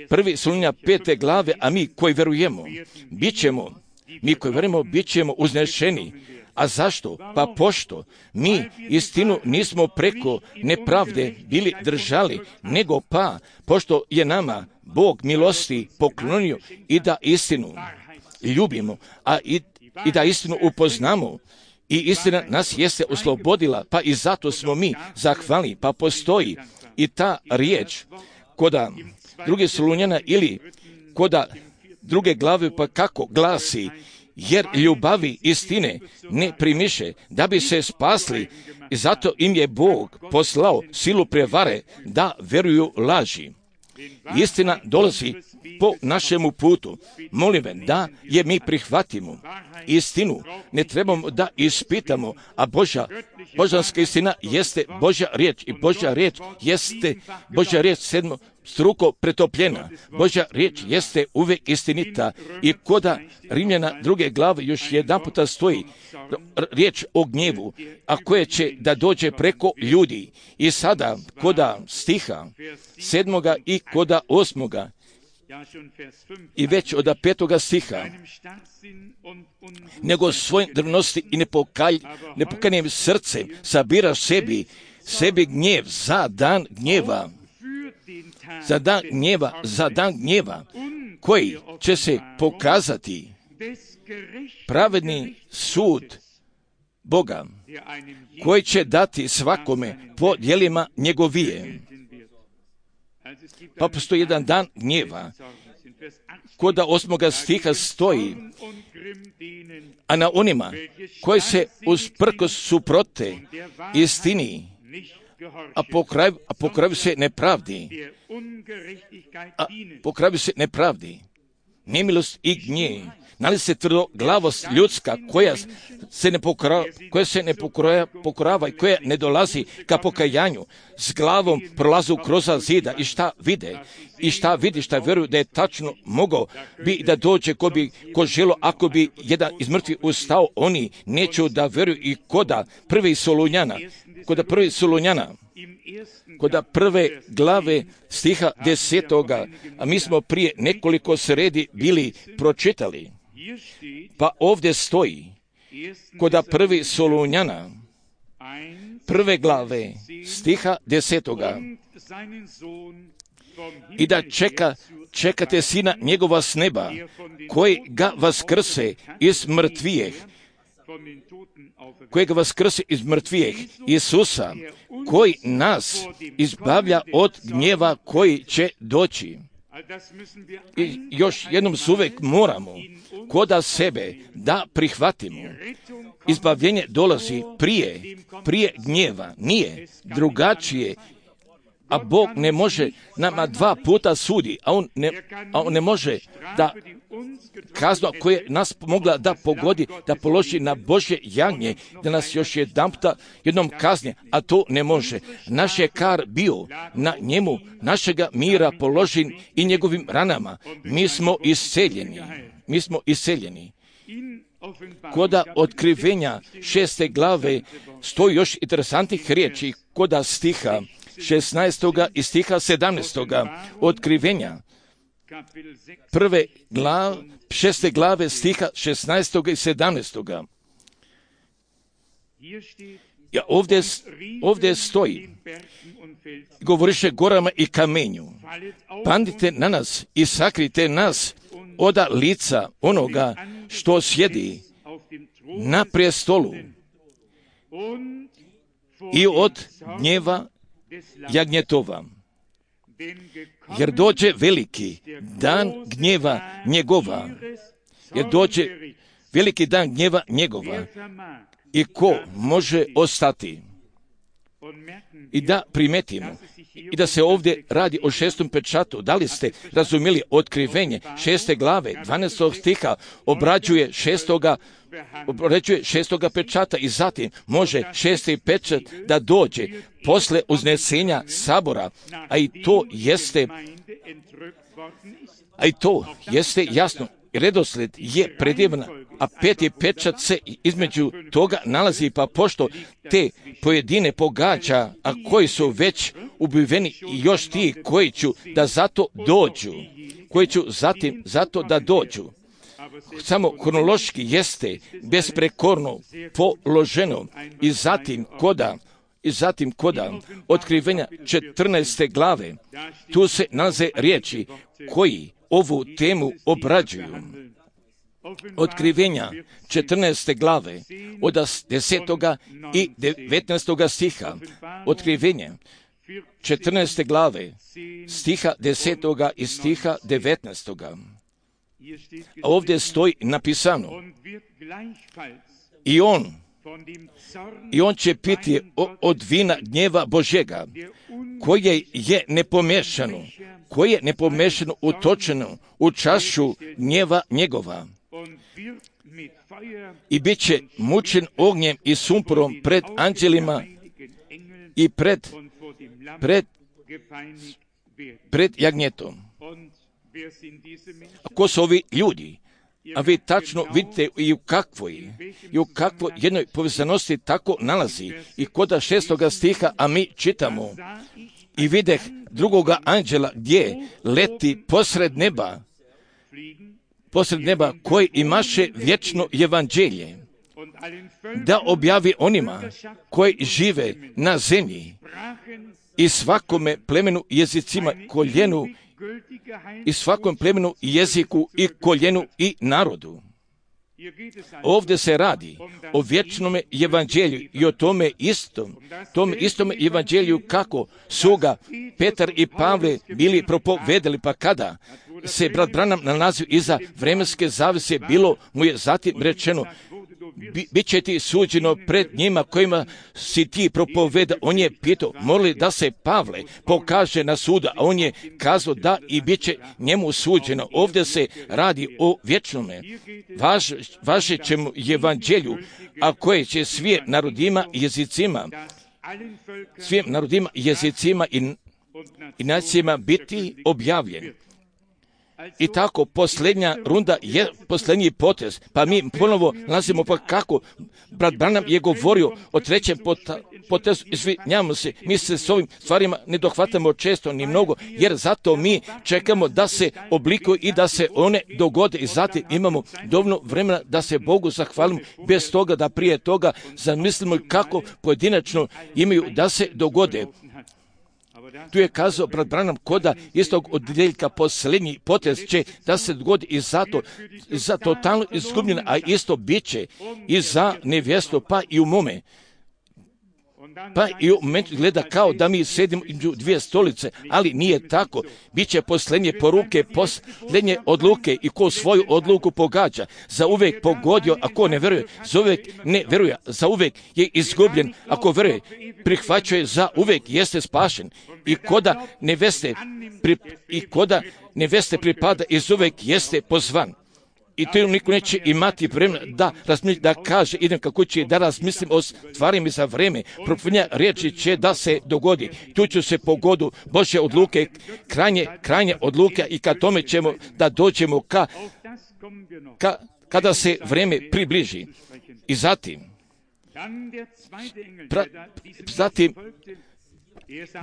prvi Solunjana pete glave, a mi koji verujemo, bit ćemo, mi koji verujemo, bit ćemo uznešeni. A zašto? Pa pošto mi istinu nismo preko nepravde bili držali, nego pa pošto je nama Bog milosti poklonio i da istinu ljubimo, a i, i da istinu upoznamo, i istina nas jeste oslobodila, pa i zato smo mi zahvalni. Pa postoji i ta riječ koda druge Solunjana ili koda druge glave, pa kako glasi: jer ljubavi istine ne primiše da bi se spasli, i zato im je Bog poslao silu prevare da veruju laži. Istina dolazi po našemu putu. Molim me da je mi prihvatimo. Istinu ne trebamo da ispitamo, a Božja, božanska istina jeste Božja riječ, i Božja riječ jeste Božja riječ sedmo struko pretopljena. Božja riječ jeste uvijek istinita, i koda Rimljana druge glave još jedan puta stoji riječ o gnjevu, a koje će da dođe preko ljudi. I sada koda stiha sedmoga i koda osmoga, i već od petoga stiha, nego svojim drvnosti i nepokalj, nepokaljenim srcem sabira sebi, sebi gnjev za dan gnjeva, za dan gnjeva, za dan gnjeva, koji će se pokazati pravedni sud Boga, koji će dati svakome po djelima njegovije. Pa postoji jedan dan gnjeva, koda osmoga stiha stoji: a na onima koji se usprkos suprote istini, a po kraju, a po kraju se nepravdi, a po kraju se nepravdi, nemilost i gnjev, nalazi se tvrdoglavost ljudska koja se ne pokora, koja se ne pokora, pokorava i koja ne dolazi ka pokajanju, s glavom prolazu kroz zida, i šta vide, i šta vidi, šta vjeruju da je tačno mogao bi da dođe ko bi ko želo, ako bi jedan iz mrtvih ustao, oni neću da vjeruju. I koda prvi Solunjana, koda prvi Solunjana, koda prve glave stiha desetoga, a mi smo prije nekoliko sredi bili pročitali, pa ovdje stoji koda prvi Solunjana, prve glave stiha desetoga, i da čeka, čekate Sina njegova s neba, koji ga vaskrse iz mrtvijeh, kojega vaskrse iz mrtvijeh, Isusa, koji nas izbavlja od gnjeva koji će doći. I još jednom se uvijek moramo koda sebe da prihvatimo. Izbavljenje dolazi prije, prije gnjeva, nije drugačije, a Bog ne može nama dva puta sudi, a on ne, a on ne može da kaznu koja nas mogla da pogodi, da položi na Božje jagnje, da nas još jedanputa jednom kazni, a to ne može. Naš je kar bio na njemu, našega mira položen i njegovim ranama. Mi smo isceljeni. Mi smo isceljeni. Koda otkrivenja šeste glave stoji još interesantnih riječi, koda stiha šesnaestoga i stiha sedamnaestoga otkrivenja prve glave, šeste glave stiha šesnaestoga i sedamnaestoga. Ja, ovdje, ovdje stoji, govoriše gorama i kamenju, padnite na nas i sakrite nas oda lica onoga što sjedi na prijestolu i od gnjeva jagnjetova. Jer dođe veliki dan gnjeva njegova. Jer dođe veliki dan gnjeva njegova. I ko može ostati? I da primetimo i da se ovdje radi o šestom pečatu. Da li ste razumjeli otkrivenje šeste glave, dvanaestog stiha, obrađuje šestoga, obrađuje šestoga pečata i zatim može šesti pečat da dođe posle uznesenja sabora, a i to jeste, a i to jeste jasno. Redosled je predivan, a peti pečat se između toga nalazi, pa pošto te pojedine pogađa, a koji su već ubiveni i još ti koji ću da zato dođu, koji ću zatim zato da dođu. Samo hronološki jeste besprekorno položeno i zatim koda, i zatim koda otkrivenja četrnaeste glave, tu se nalaze riječi koji ovu temu obrađuju. Otkrivenja četrnaeste glave od desetoga i devetnaestoga stiha. Otkrivenje četrnaeste glave stiha desetoga i stiha devetnaestoga. A ovdje stoji napisano i on i on će piti od vina gnjeva Božjega, koje je nepomešano, koje je nepomešano utočeno u čašu gnjeva njegova. I bit će mučen ognjem i sumporom pred anđelima i pred, pred, pred jagnjetom. A ko su ovi ljudi? A vi tačno vidite i u kakvoj, i u kakvoj jednoj povezanosti tako nalazi. I koda šestoga stiha, a mi čitamo, i videh drugoga anđela gdje leti posred neba, posred neba koji imaše vječno evanđelje, da objavi onima koji žive na zemlji i svakome plemenu, jezicima, koljenu, i svakom plemenu, jeziku i koljenu i narodu. Ovdje se radi o vječnom evanđelju i o tome istom, tome istome evanđelju kako su ga Petar i Pavle bili propovedali, pa kada se brat Branham nalazio iza vremenske zavese, bilo mu je zatim rečeno, Bi, bit će ti suđeno pred njima kojima si ti propoveda. On je pitao, morali da se Pavle pokaže na sudu, a on je kazao da i bit će njemu suđeno. Ovdje se radi o vječnome, važ, važećem evanđelju, a koje će svim narodima i jezicima, svim narodima i jezicima i, i nacijama biti objavljen. I tako posljednja runda je posljednji potez, pa mi ponovo nalazimo pa kako brat Branham je govorio o trećem potezu, izvinjavamo se, mi se s ovim stvarima ne dohvatamo često ni mnogo, jer zato mi čekamo da se oblikuju i da se one dogode i zatim imamo dovoljno vremena da se Bogu zahvalimo, bez toga da prije toga zamislimo kako pojedinačno imaju da se dogode. Tu je kazao brat Branham koda istog odjeljka posljednji potez će da se dogodi i zato za totalno izgubljen, a isto bit će i za nevjestu, pa i u mome. Pa i u momentu gleda kao da mi sedimo u dvije stolice, ali nije tako. Biće posljednje poruke, posljednje odluke i ko svoju odluku pogađa, za uvijek pogodio, a ko ne vjeruje, za uvijek ne vjeruje, za uvijek je izgubljen, ako vjeruje, prihvaćuje, za uvijek jeste spašen. I koda neveste, pri, i koda neveste pripada, iz uvijek jeste pozvan. I to niko neće imati vremena da razmisli, da kaže idem kako će, da razmislim o stvarima za vreme. Propovjedanja riječi će da se dogodi. Tu ću se pogodu Božje odluke, krajnje, krajnje odluke i ka tome ćemo da dođemo ka, ka, kada se vreme približi. I zatim, pra, zatim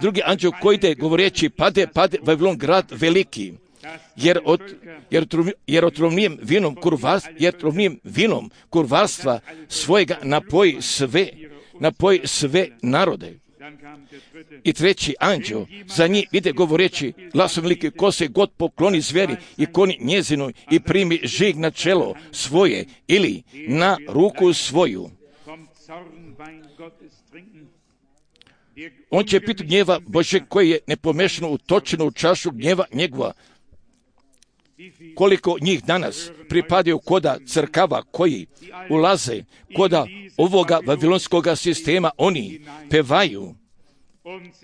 drugi anđeo koji ide govoreći pade, pade Vavilon grad veliki. Jer, od, jer, jer otrovnijem vinom kurvarstva, jer otrovnijem vinom kurvarstva svojega napoji sve, napoji sve narode. I treći anđeo za njih ide govoreći glasom veliki, ko se god pokloni zveri i koni njezinoj i primi žig na čelo svoje ili na ruku svoju. On će piti gnjeva Bože koji je nepomešano utočeno u čašu gnjeva njegova. Koliko njih danas pripadaju koda crkava koji ulaze koda ovoga vavilonskoga sistema, oni pevaju,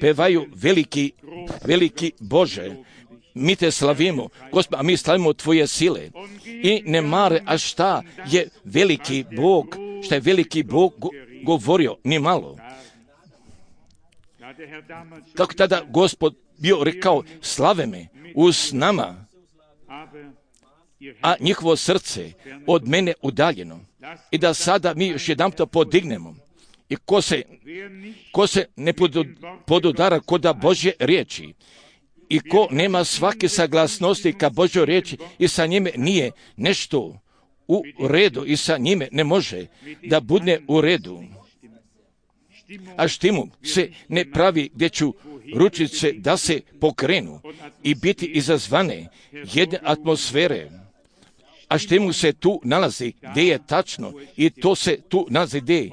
pevaju veliki, veliki Bože, mi te slavimo, Gospod, a mi slavimo tvoje sile. I ne mare, a šta je veliki Bog, šta je veliki Bog go, govorio, ni malo. Kako tada Gospod bio rekao, slave me uz nama, a njihovo srce od mene udaljeno. I da sada mi još jedan to podignemo. I ko se, ko se ne podudara koda Božje riječi i ko nema svake saglasnosti ka Božjoj riječi i sa njime nije nešto u redu i sa njime ne može da bude u redu. A štimu se ne pravi gdje ću ručice da se pokrenu i biti izazvane jedne atmosfere. A štimu se tu nalazi gdje je tačno i to se tu nalazi gdje.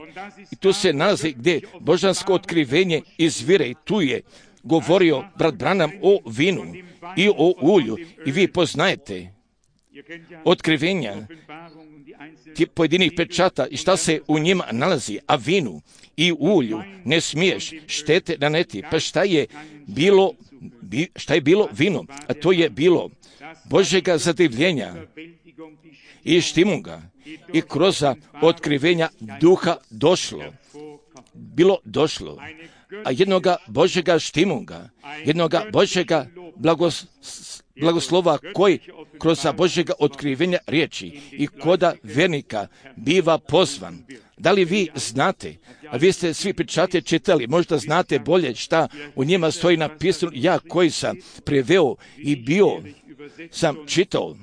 I tu se nalazi gdje božansko otkrivenje izvire i tu je govorio brat Branham o vinu i o ulju i vi poznajete otkrivenja tih pojedinih pečata i šta se u njima nalazi, a vinu i ulju ne smiješ štete naneti. Pa šta je bilo, šta je bilo vino? A to je bilo Božjega zadivljenja i štimunga i kroz otkrivenja duha došlo, bilo došlo, a jednoga Božjega štimunga, jednoga Božjega blagos, blagoslova koji kroz Božjega otkrivenja riječi i koda vernika biva pozvan. Da li vi znate, a vi ste svi pečate čitali, možda znate bolje šta u njima stoji napisano, ja koji sam preveo i bio sam čitao,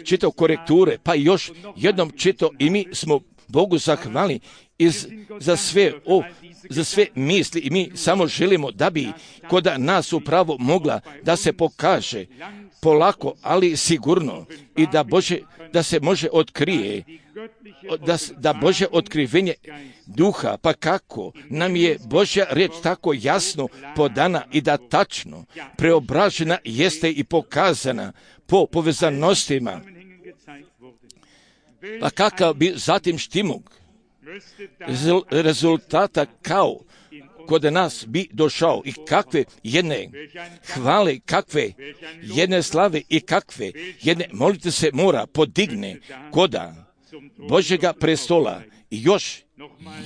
čitao korekture, pa još jednom čitao i mi smo Bogu zahvali iz, za sve o, za sve misli i mi samo želimo da bi kod nas upravo mogla da se pokaže polako, ali sigurno i da Bože, da se može otkrije, da, da Bože otkrivenje duha, pa kako nam je Božja riječ tako jasno podana i da tačno preobražena jeste i pokazana po povezanostima. Pa kakav bi zatim štimug rezultata kao kod nas bi došao i kakve jedne hvale, kakve jedne slave i kakve jedne molite se mora podigne koda Božjega prestola. I još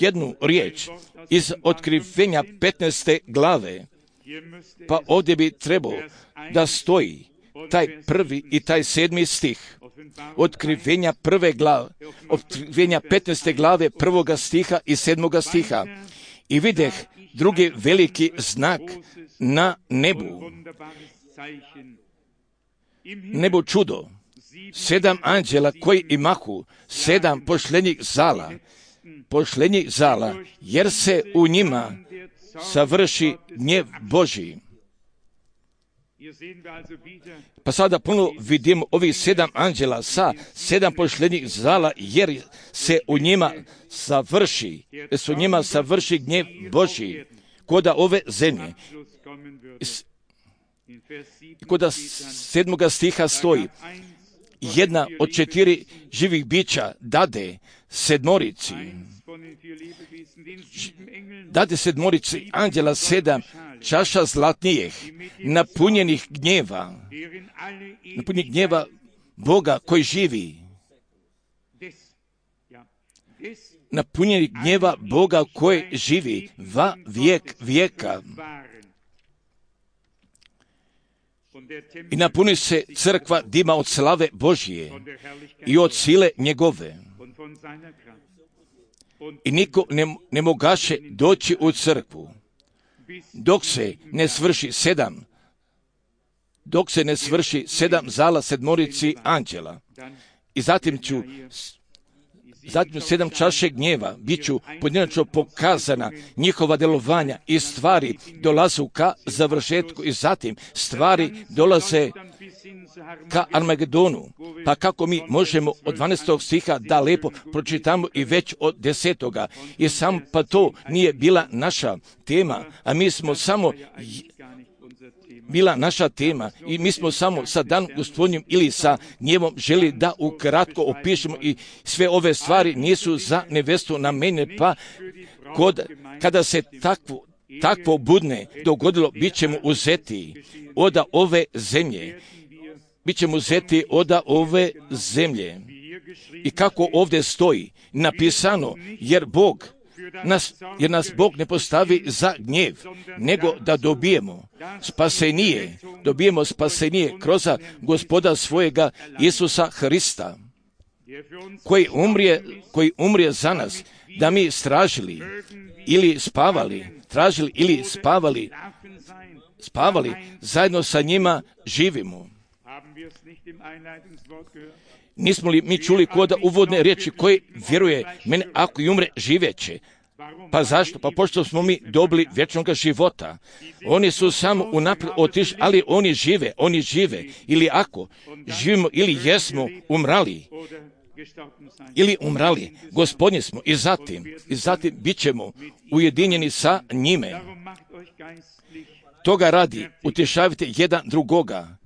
jednu riječ iz otkrivenja petnaeste glave, pa ovdje bi trebao da stoji taj prvi i taj sedmi stih. Otkrivenja prve glave, otkrivenja petnaeste glave prvoga stiha i sedmoga stiha. I videh drugi veliki znak na nebu. Nebo čudo. Sedam anđela koji imahu sedam pošljenih zala, pošljenih zala, jer se u njima savrši gnjev Božji. Pa sada puno vidimo ovih sedam anđela sa sedam pošlednjih zala, jer se u njima savrši, jer se u njima savrši gnjev Božji koda ove zemlje. Koda sedmoga stiha stoji, jedna od četiri živih bića dade sedmorici, dade sedmorici anđela sedam čaša zlatnijih, napunjenih gnjeva, napunjenih gnjeva Boga koji živi, napunjenih gnjeva Boga koji živi va vijek vijeka. I napuni se crkva dima od slave Božje i od sile njegove. I niko ne, ne mogaše doći u crkvu, dok se ne svrši sedam, dok se ne svrši sedam zala sedmorici anđela. I zatim ću, zatim sedam čaše gnjeva, bit ću pojedinačno pokazana njihova djelovanja i stvari dolazu ka završetku i zatim stvari dolaze ka Armagedonu. Pa kako mi možemo od dvanaestog stiha da lepo pročitamo i već od desetoga. I sam pa to nije bila naša tema, a mi smo samo bila naša tema i mi smo samo sa dan gospodnjim ili sa gnjevom želi da ukratko opišemo i sve ove stvari nisu za nevestu na mene, pa kod, kada se takvo, takvo budne dogodilo, bit ćemo uzeti od ove zemlje. Bit ćemo uzeti od ove zemlje. I kako ovdje stoji napisano, jer Bog Nas, jer nas Bog ne postavi za gnjev, nego da dobijemo spasenije, dobijemo spasenije kroz Gospoda svojega Isusa Hrista, koji umrije, koji umrije za nas, da mi stražili ili spavali, tražili ili spavali, spavali, zajedno sa njima živimo. Nismo li mi čuli koda uvodne riječi koji vjeruje mene ako i umre živeće? Pa zašto? Pa pošto smo mi dobili vječnog života. Oni su samo unaprijed otišli, ali oni žive, oni žive. Ili ako živimo ili jesmo umrali, ili umrali, Gospodnji smo i zatim, i zatim bit ćemo ujedinjeni sa njime. Toga radi, utješavajte jedan drugoga.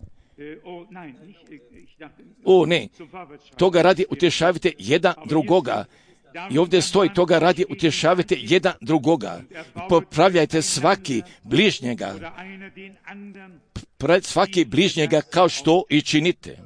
O ne, toga radi utješavajte jedan drugoga. I ovdje stoji, toga radi utješavajte jedan drugoga. Popravljajte svaki bližnjega, svaki bližnjega kao što i činite.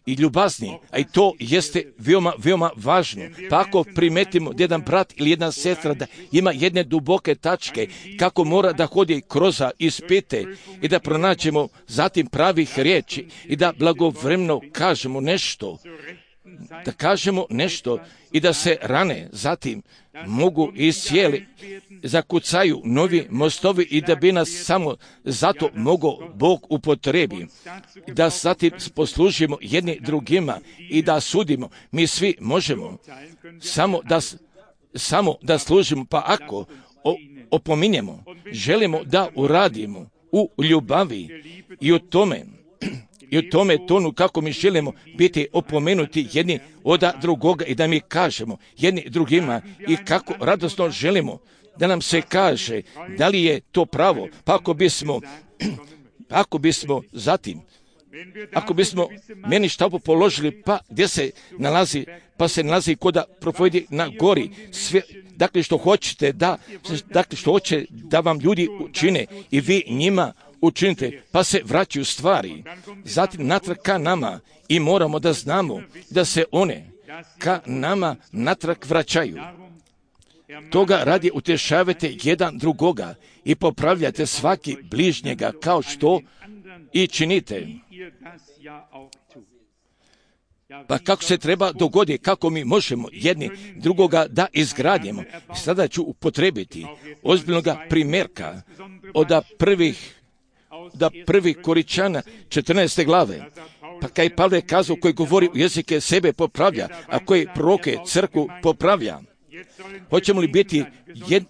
I ljubazni, a i to jeste veoma, veoma važno. Pa ako primetimo da jedan brat ili jedna sestra da ima jedne duboke tačke, kako mora da hodi kroz ispite i da pronađemo zatim pravih riječi i da blagovremeno kažemo nešto, da kažemo nešto i da se rane zatim mogu iscijeli, zakucaju novi mostovi i da bi nas samo zato mogao Bog upotrebi. Da zatim poslužimo jedni drugima i da sudimo. Mi svi možemo samo da, samo da služimo, pa ako opominjemo, želimo da uradimo u ljubavi i u tome, i u tome tonu kako mi želimo biti opomenuti jedni od drugoga i da mi kažemo jedni drugima i kako radosno želimo da nam se kaže da li je to pravo, pa ako bismo, ako bismo zatim, ako bismo meni štapu položili, pa gdje se nalazi, pa se nalazi koda propovjedi na gori, sve, dakle što hoćete da, dakle što hoće da vam ljudi učine i vi njima učinite, pa se vraćaju stvari, zatim natrag ka nama i moramo da znamo da se one ka nama natrag vraćaju. Toga radi utješavajte jedan drugoga i popravljajte svaki bližnjega kao što i činite. Pa kako se treba dogoditi, kako mi možemo jedni drugoga da izgradimo. Sada ću upotrebiti ozbiljnoga primjerka od prvih da prvi Koričana četrnaeste glave, pa kaj Pavle kazao koji govori u jezike sebe popravlja, a koji proroke crkvu popravlja. Hoćemo li biti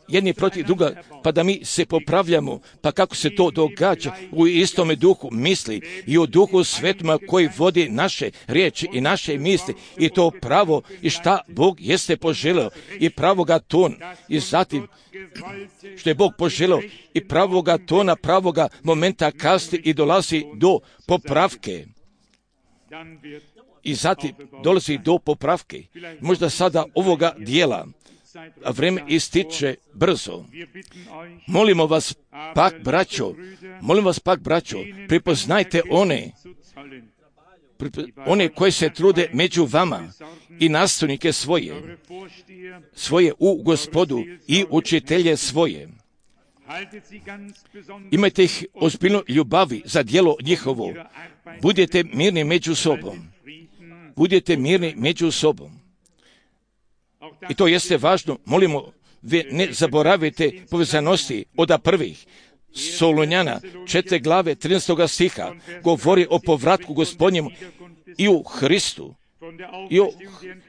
jedni protiv druga, pa da mi se popravljamo, pa kako se to događa u istome duhu misli i u duhu svetoma koji vodi naše riječi i naše misli i to pravo i šta Bog jeste poželeo i pravoga tona i zatim što je Bog poželeo i pravoga tona, pravoga momenta kasti i dolazi do popravke. I zatim dolazi do popravke. Možda sada ovoga dijela, a vrijeme ističe brzo. Molimo vas pak, braćo, molim vas pak, braćo, prepoznajte one, one koji se trude među vama i nastavnike svoje, svoje u Gospodu i učitelje svoje. Imajte ih ozbiljno ljubavi za djelo njihovo. Budite mirni među sobom. Budite mirni među sobom. I to jeste važno. Molimo, vi ne zaboravite povezanosti od prvih. Solunjana, četiri glave, trinaestog stiha, govori o povratku Gospodnjemu i u Hristu. I o,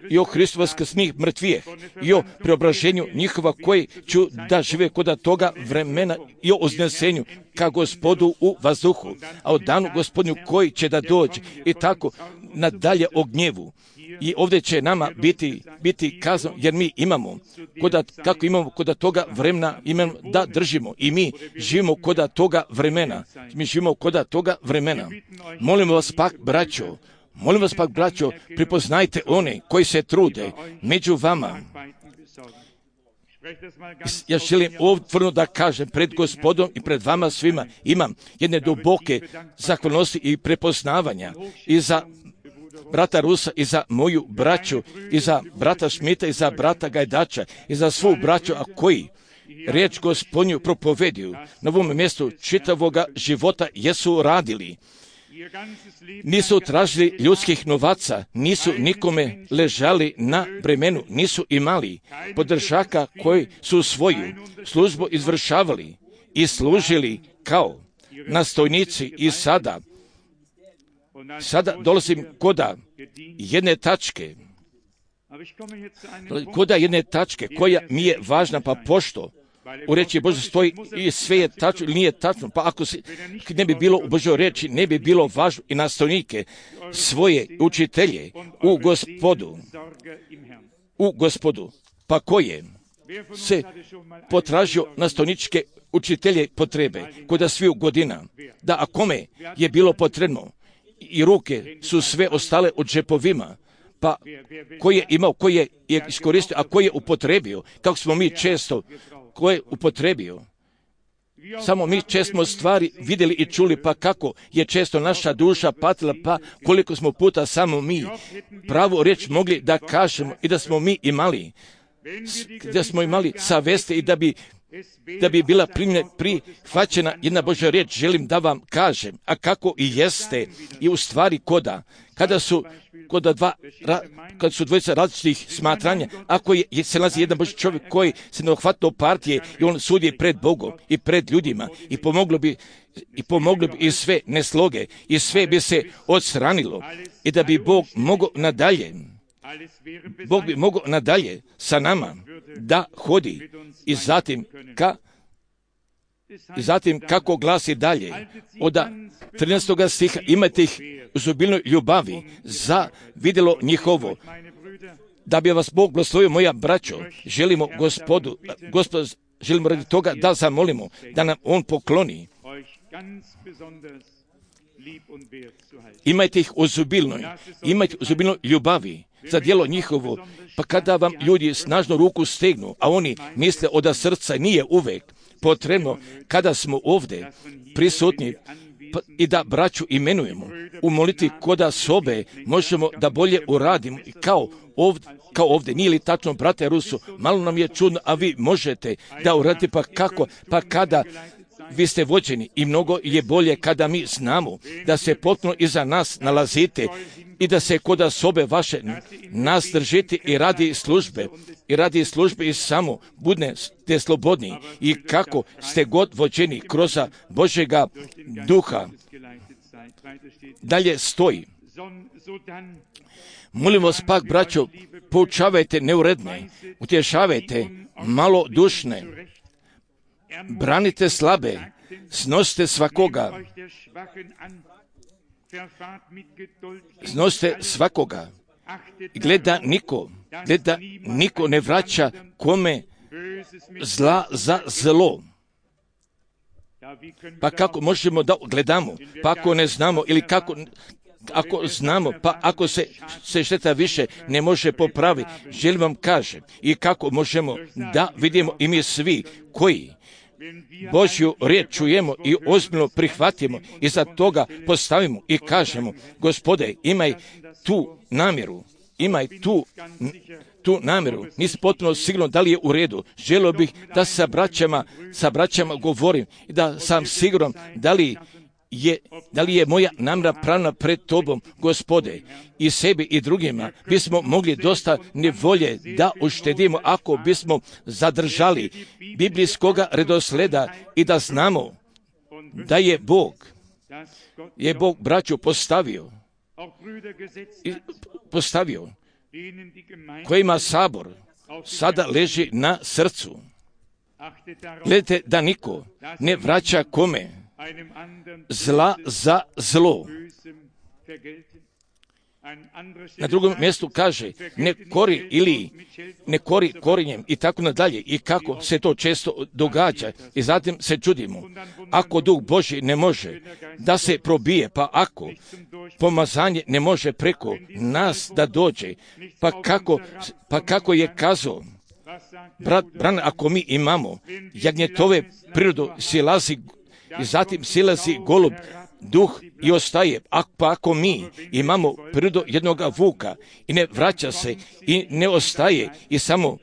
i o Hristu vaskrsnih mrtvijeh, i o preobraženju njihova koji ću da žive kod toga vremena i o uznesenju ka Gospodu u vazduhu, a o danu Gospodnju koji će da dođe i tako nadalje o gnjevu. I ovdje će nama biti, biti kazano, jer mi imamo, koda, kako imamo kod toga vremena, imamo da držimo i mi živimo kod toga vremena. Mi živimo kod toga vremena. Molimo vas pak, braćo, Molim vas pak, braćo, prepoznajte one koji se trude među vama. Ja želim otvoreno da kažem pred Gospodom i pred vama svima, imam jedne duboke zahvalnosti i prepoznavanja i za brata Rusa i za moju braću i za brata Šmita i za brata Gajdača i za svu braću, a koji riječ Gospodnju propoveduju na ovom mjestu čitavoga života jesu radili. Nisu tražili ljudskih novaca, nisu nikome ležali na bremenu, nisu imali podržaka koji su svoju službu izvršavali i služili kao nastojnici i sada. Sada dolazim koda jedne tačke, koda jedne tačke koja mi je važna, pa pošto u reči Bože stoji i sve je tačno ili nije tačno, pa ako se ne bi bilo u Božoj reči, ne bi bilo važno i nastojnike svoje učitelje u Gospodu, u Gospodu, pa koje se potražio nastojničke učitelje potrebe kod sviju godina, da a kome je bilo potrebno i ruke su sve ostale u džepovima, pa ko je imao, ko je iskoristio, a ko je upotrebio, kako smo mi često, ko je upotrebio. Samo mi često stvari vidjeli i čuli, pa kako je često naša duša patila, pa koliko smo puta samo mi pravu riječ mogli da kažemo i da smo mi imali, da smo imali saveste i da bi da bi bila prihvaćena jedna Božja riječ, želim da vam kažem, a kako i jeste i u stvari koda, kada su koda dva, ra, kad su dvojica različitih smatranja, ako je, se nalazi jedan Božji čovjek koji se ne ohvatao partije i on sudi pred Bogom i pred ljudima i pomoglo bi i pomoglo bi i sve nesloge i sve bi se odstranilo i da bi Bog mogao nadalje Bog bi mogao nadalje sa nama da hodi i zatim ka i zatim kako glasi dalje od trinaestog stiha, imajte ih u obilnoj ljubavi za vidjelo njihovo, da bi vas Bog blagoslovio, moja braćo. Želimo Gospodu, Gospod, želimo radi toga da zamolimo da nam On pokloni. Imajte ih u obilnoj, imajte u obilnoj ljubavi za djelo njihovo, pa kada vam ljudi snažno ruku stegnu, a oni misle od srca, nije uvek potrebno kada smo ovdje prisutni pa, i da braću imenujemo, u molitvi koda sobe možemo da bolje uradimo kao ovdje, kao ovdje. Nije li tačno, brate Rusu, malo nam je čudno, a vi možete da uradite, pa kako, pa kada vi ste vođeni i mnogo je bolje kada mi znamo da se potpuno iza nas nalazite i da se koda sobe vaše nas držite i radi službe i radi službe i samo budete slobodni i kako ste god vođeni kroz Božjega duha. Dalje stoji, Molim vas pak, braćo, poučavajte neuredne, utješavajte malodušne, branite slabe, snosite svakoga, snosite svakoga. Gleda niko, gleda niko ne vraća kome zla za zlo. Pa kako možemo da gledamo, pa ako ne znamo ili kako, ako znamo, pa ako se, se šteta više ne može popraviti, želim vam kažem i kako možemo da vidimo i mi svi koji Božju riječ čujemo i ozbiljno prihvatimo i za toga postavimo i kažemo, Gospode, imaj tu namjeru, imaj tu, tu namjeru. Nisam potpuno siguran da li je u redu. Želio bih da sa braćama, sa braćama govorim i da sam siguran da li je, da li je moja namjera pravna pred Tobom, Gospode, i sebi i drugima. Bismo mogli dosta nevolje da uštedimo ako bismo zadržali biblijskoga redosleda i da znamo da je Bog, je Bog braću postavio, i postavio kojima sabor sada leži na srcu. Gledajte da niko ne vraća kome zla za zlo. Na drugom mjestu kaže ne kori ili ne kori korinjem i tako nadalje. I kako se to često događa. I zatim se čudimo. Ako Duh Božji ne može da se probije, pa ako pomazanje ne može preko nas da dođe, pa kako, pa kako je kazao brat Bran, ako mi imamo jagnjetove prirodu, silazi i zatim silazi golub, duh i ostaje. A pa ako mi imamo prirodu jednoga vuka i ne vraća se i ne ostaje i samo,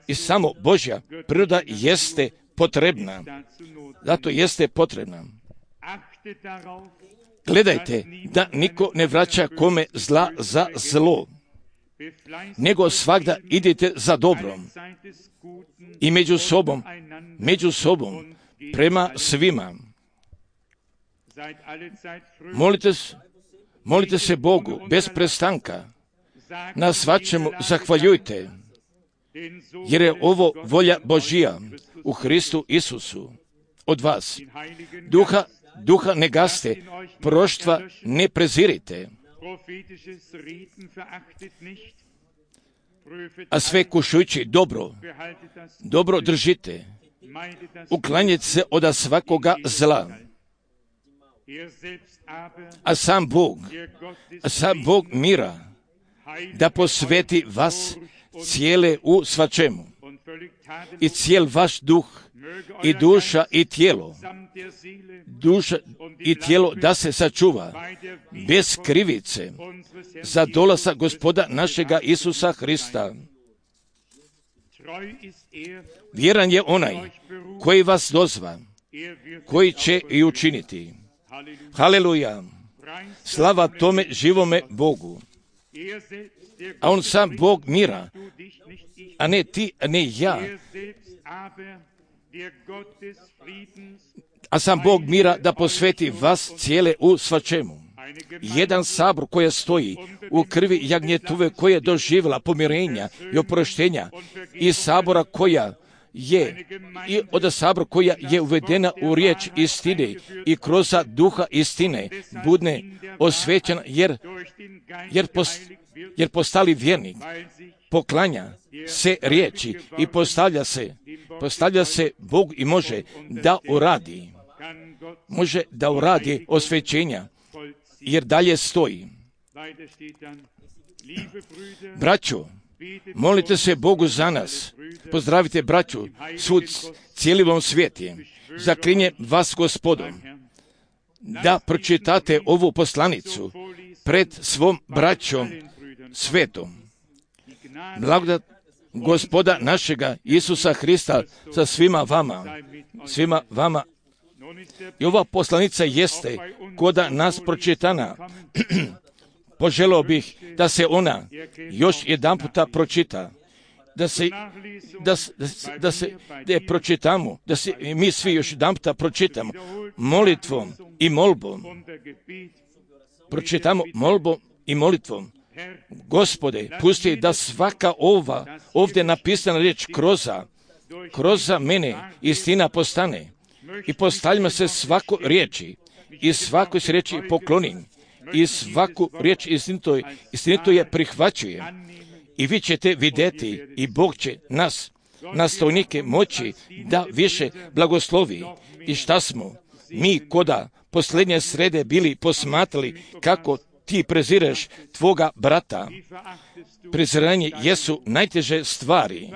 i samo Božja priroda jeste potrebna. Zato jeste potrebna. Gledajte da niko ne vraća kome zla za zlo, nego svagda idite za dobrom i među sobom, među sobom prema svima. Molite, molite se Bogu bez prestanka, na svačemu zahvaljujte, jer je ovo volja Božija u Hristu Isusu od vas. Duha, duha ne gaste, proroštva ne prezirite, a sve kušujući dobro, dobro držite, uklanjajte se od svakoga zla. A sam Bog, a sam Bog mira, da posveti vas cijele u svačemu i cijel vaš duh i duša i tijelo, duša i tijelo da se sačuva bez krivice za dolazak Gospoda našega Isusa Hrista. Vjeran je onaj koji vas dozva, koji će i učiniti. Haleluja! Slava tome živome Bogu. A on sam Bog mira, a ne ti, a ne ja. A sam Bog mira da posveti vas cijele u svačemu. Jedan sabor koja stoji u krvi jagnjetove, koja je doživjela pomirenja i oproštenja, i sabora koja je, i od sabora koja je uvedena u riječ istine i kroz duha istine budne osvećena, jer, jer, post, jer postali vjernik poklanja se riječi i postavlja se, postavlja se Bog i može da uradi, može da uradi osvećenja, jer dalje stoji. Braćo, molite se Bogu za nas. Pozdravite braću svud cijelivom svijeti. Zaklinje vas Gospodom da pročitate ovu poslanicu pred svom braćom svetom. Blagodat Gospoda našega Isusa Hrista sa svima vama, svima vama. I ova poslanica jeste koda nas pročitana. Poželio bih da se ona još jedan puta pročita, da se, da, da, da se da je pročitamo, da se mi svi još jedan puta pročitamo molitvom i molbom. Pročitamo molbom i molitvom. Gospode, pusti da svaka ova ovdje napisana riječ kroza, kroza mene istina postane i postavljamo se svako riječi i svakoj se riječi poklonim i svaku riječ istinito, istinito je prihvaćujem i vi ćete vidjeti i Bog će nas, nastavnike moći da više blagoslovi. I šta smo mi koda posljednje srede bili posmatrali kako ti prezireš tvoga brata. Preziranje jesu najteže stvari,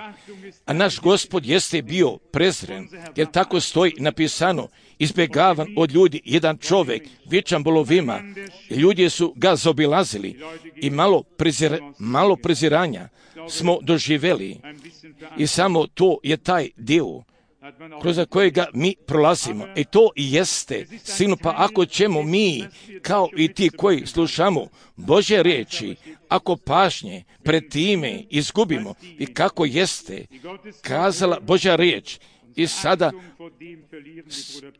a naš Gospod jeste bio prezren, jer tako stoji napisano, izbjegavan od ljudi jedan čovjek, vičan bolovima, ljudi su ga zaobilazili i malo, prezir, malo preziranja smo doživjeli i samo to je taj dio kroz kojega mi prolazimo. I to i jeste sigurno, pa ako ćemo mi, kao i ti koji slušamo Božje riječi, ako pažnje pred time izgubimo i kako jeste kazala Božja riječ, i sada,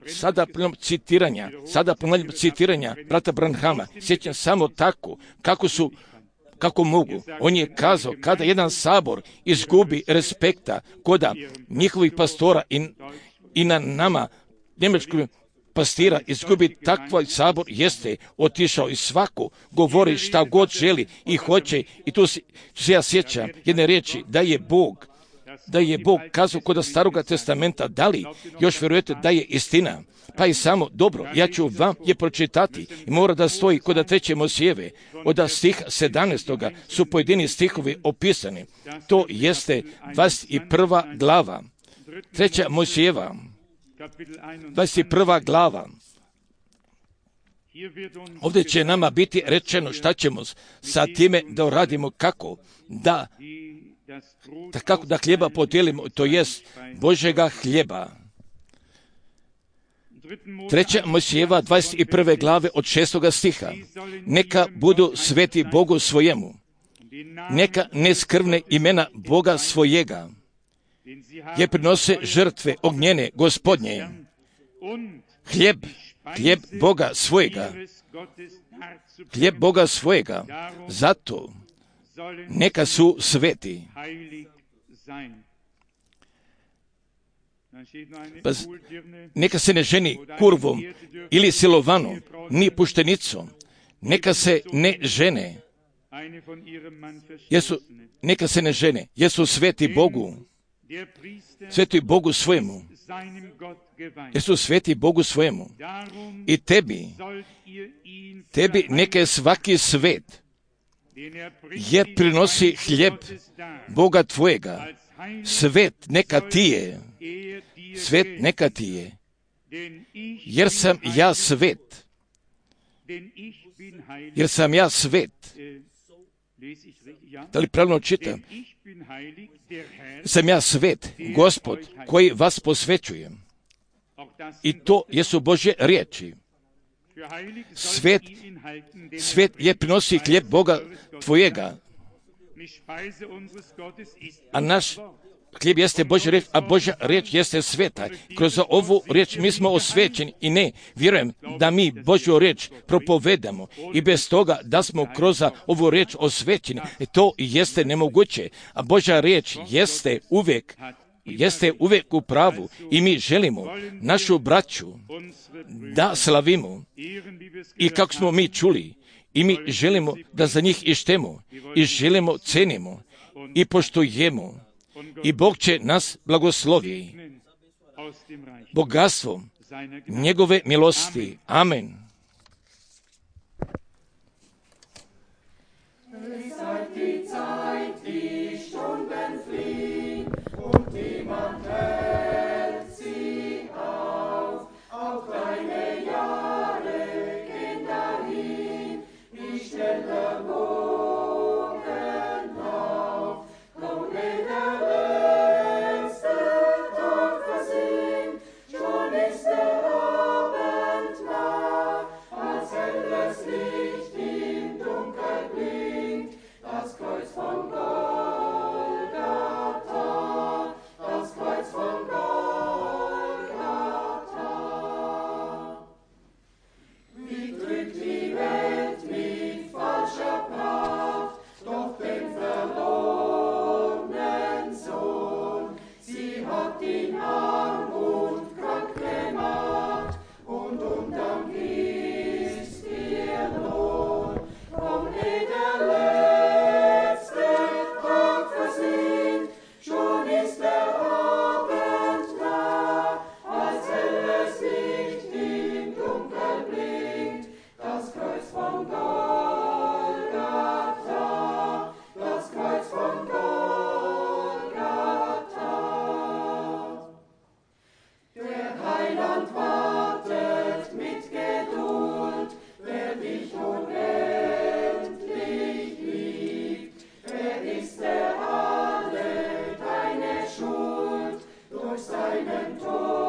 sada plnom citiranja, sada plnom citiranja brata Branhama, sjećam samo tako, kako su kako mogu. On je kazao, kada jedan sabor izgubi respekta koda njihovih pastora i, i na nama, njemačkog pastira, izgubi takva sabor, jeste otišao i svako govori šta god želi i hoće. I tu se, se ja sjećam jedne riječi, da je Bog, da je Bog kazao kod Staroga testamenta, da li još vjerujete da je istina? Pa i samo, dobro, ja ću vam je pročitati i mora da stoji kod treće Mojsijeve, od stiha sedamnaestoga su pojedini stihovi opisani. To jeste dvadeset prva glava, treća Mojsijeva, dvadeset prva glava. Ovdje će nama biti rečeno šta ćemo sa time da uradimo, kako da, da, kako da hljeba podijelimo, to jest Božjega hljeba. Treća Mojsijeva dvadeset prve glave od šestoga stiha. Neka budu sveti Bogu svojemu, neka neskrvne imena Boga svojega, je prinose žrtve ognjene Gospodnje, hljeb, hljeb Boga svojega, hljeb Boga svojega, zato neka su sveti. Pa neka se ne ženi kurvom ili silovanom, ni puštenicom, neka se ne žene, jesu, neka se ne žene, jesu sveti Bogu, sveti Bogu svojemu, jesu sveti Bogu svojemu. I tebi, tebi neka je svaki svet, jer prinosi hljeb Boga tvojega, svet neka ti je, svet neka ti je, jer sam ja svet, jer sam ja svet. Da li pravilno čitam? Sam ja svet, Gospod, koji vas posvećujem. I to jesu Božje riječi. Svet, svet je prinosi hljeb Boga tvojega, a naš hljeb jeste Božja riječ, a Božja riječ jeste sveta. Kroz ovu riječ mi smo osvećeni i ne, vjerujem da mi Božju riječ propovedamo i bez toga da smo kroz ovu riječ osvećeni, to jeste nemoguće. A Božja riječ jeste uvijek, jeste uvijek u pravu i mi želimo našu braću da slavimo i kako smo mi čuli, i mi želimo da za njih ištemo i želimo, cenimo i poštujemo. I Bog će nas blagoslovi bogatstvom njegove milosti. Amen. Seinen Tod.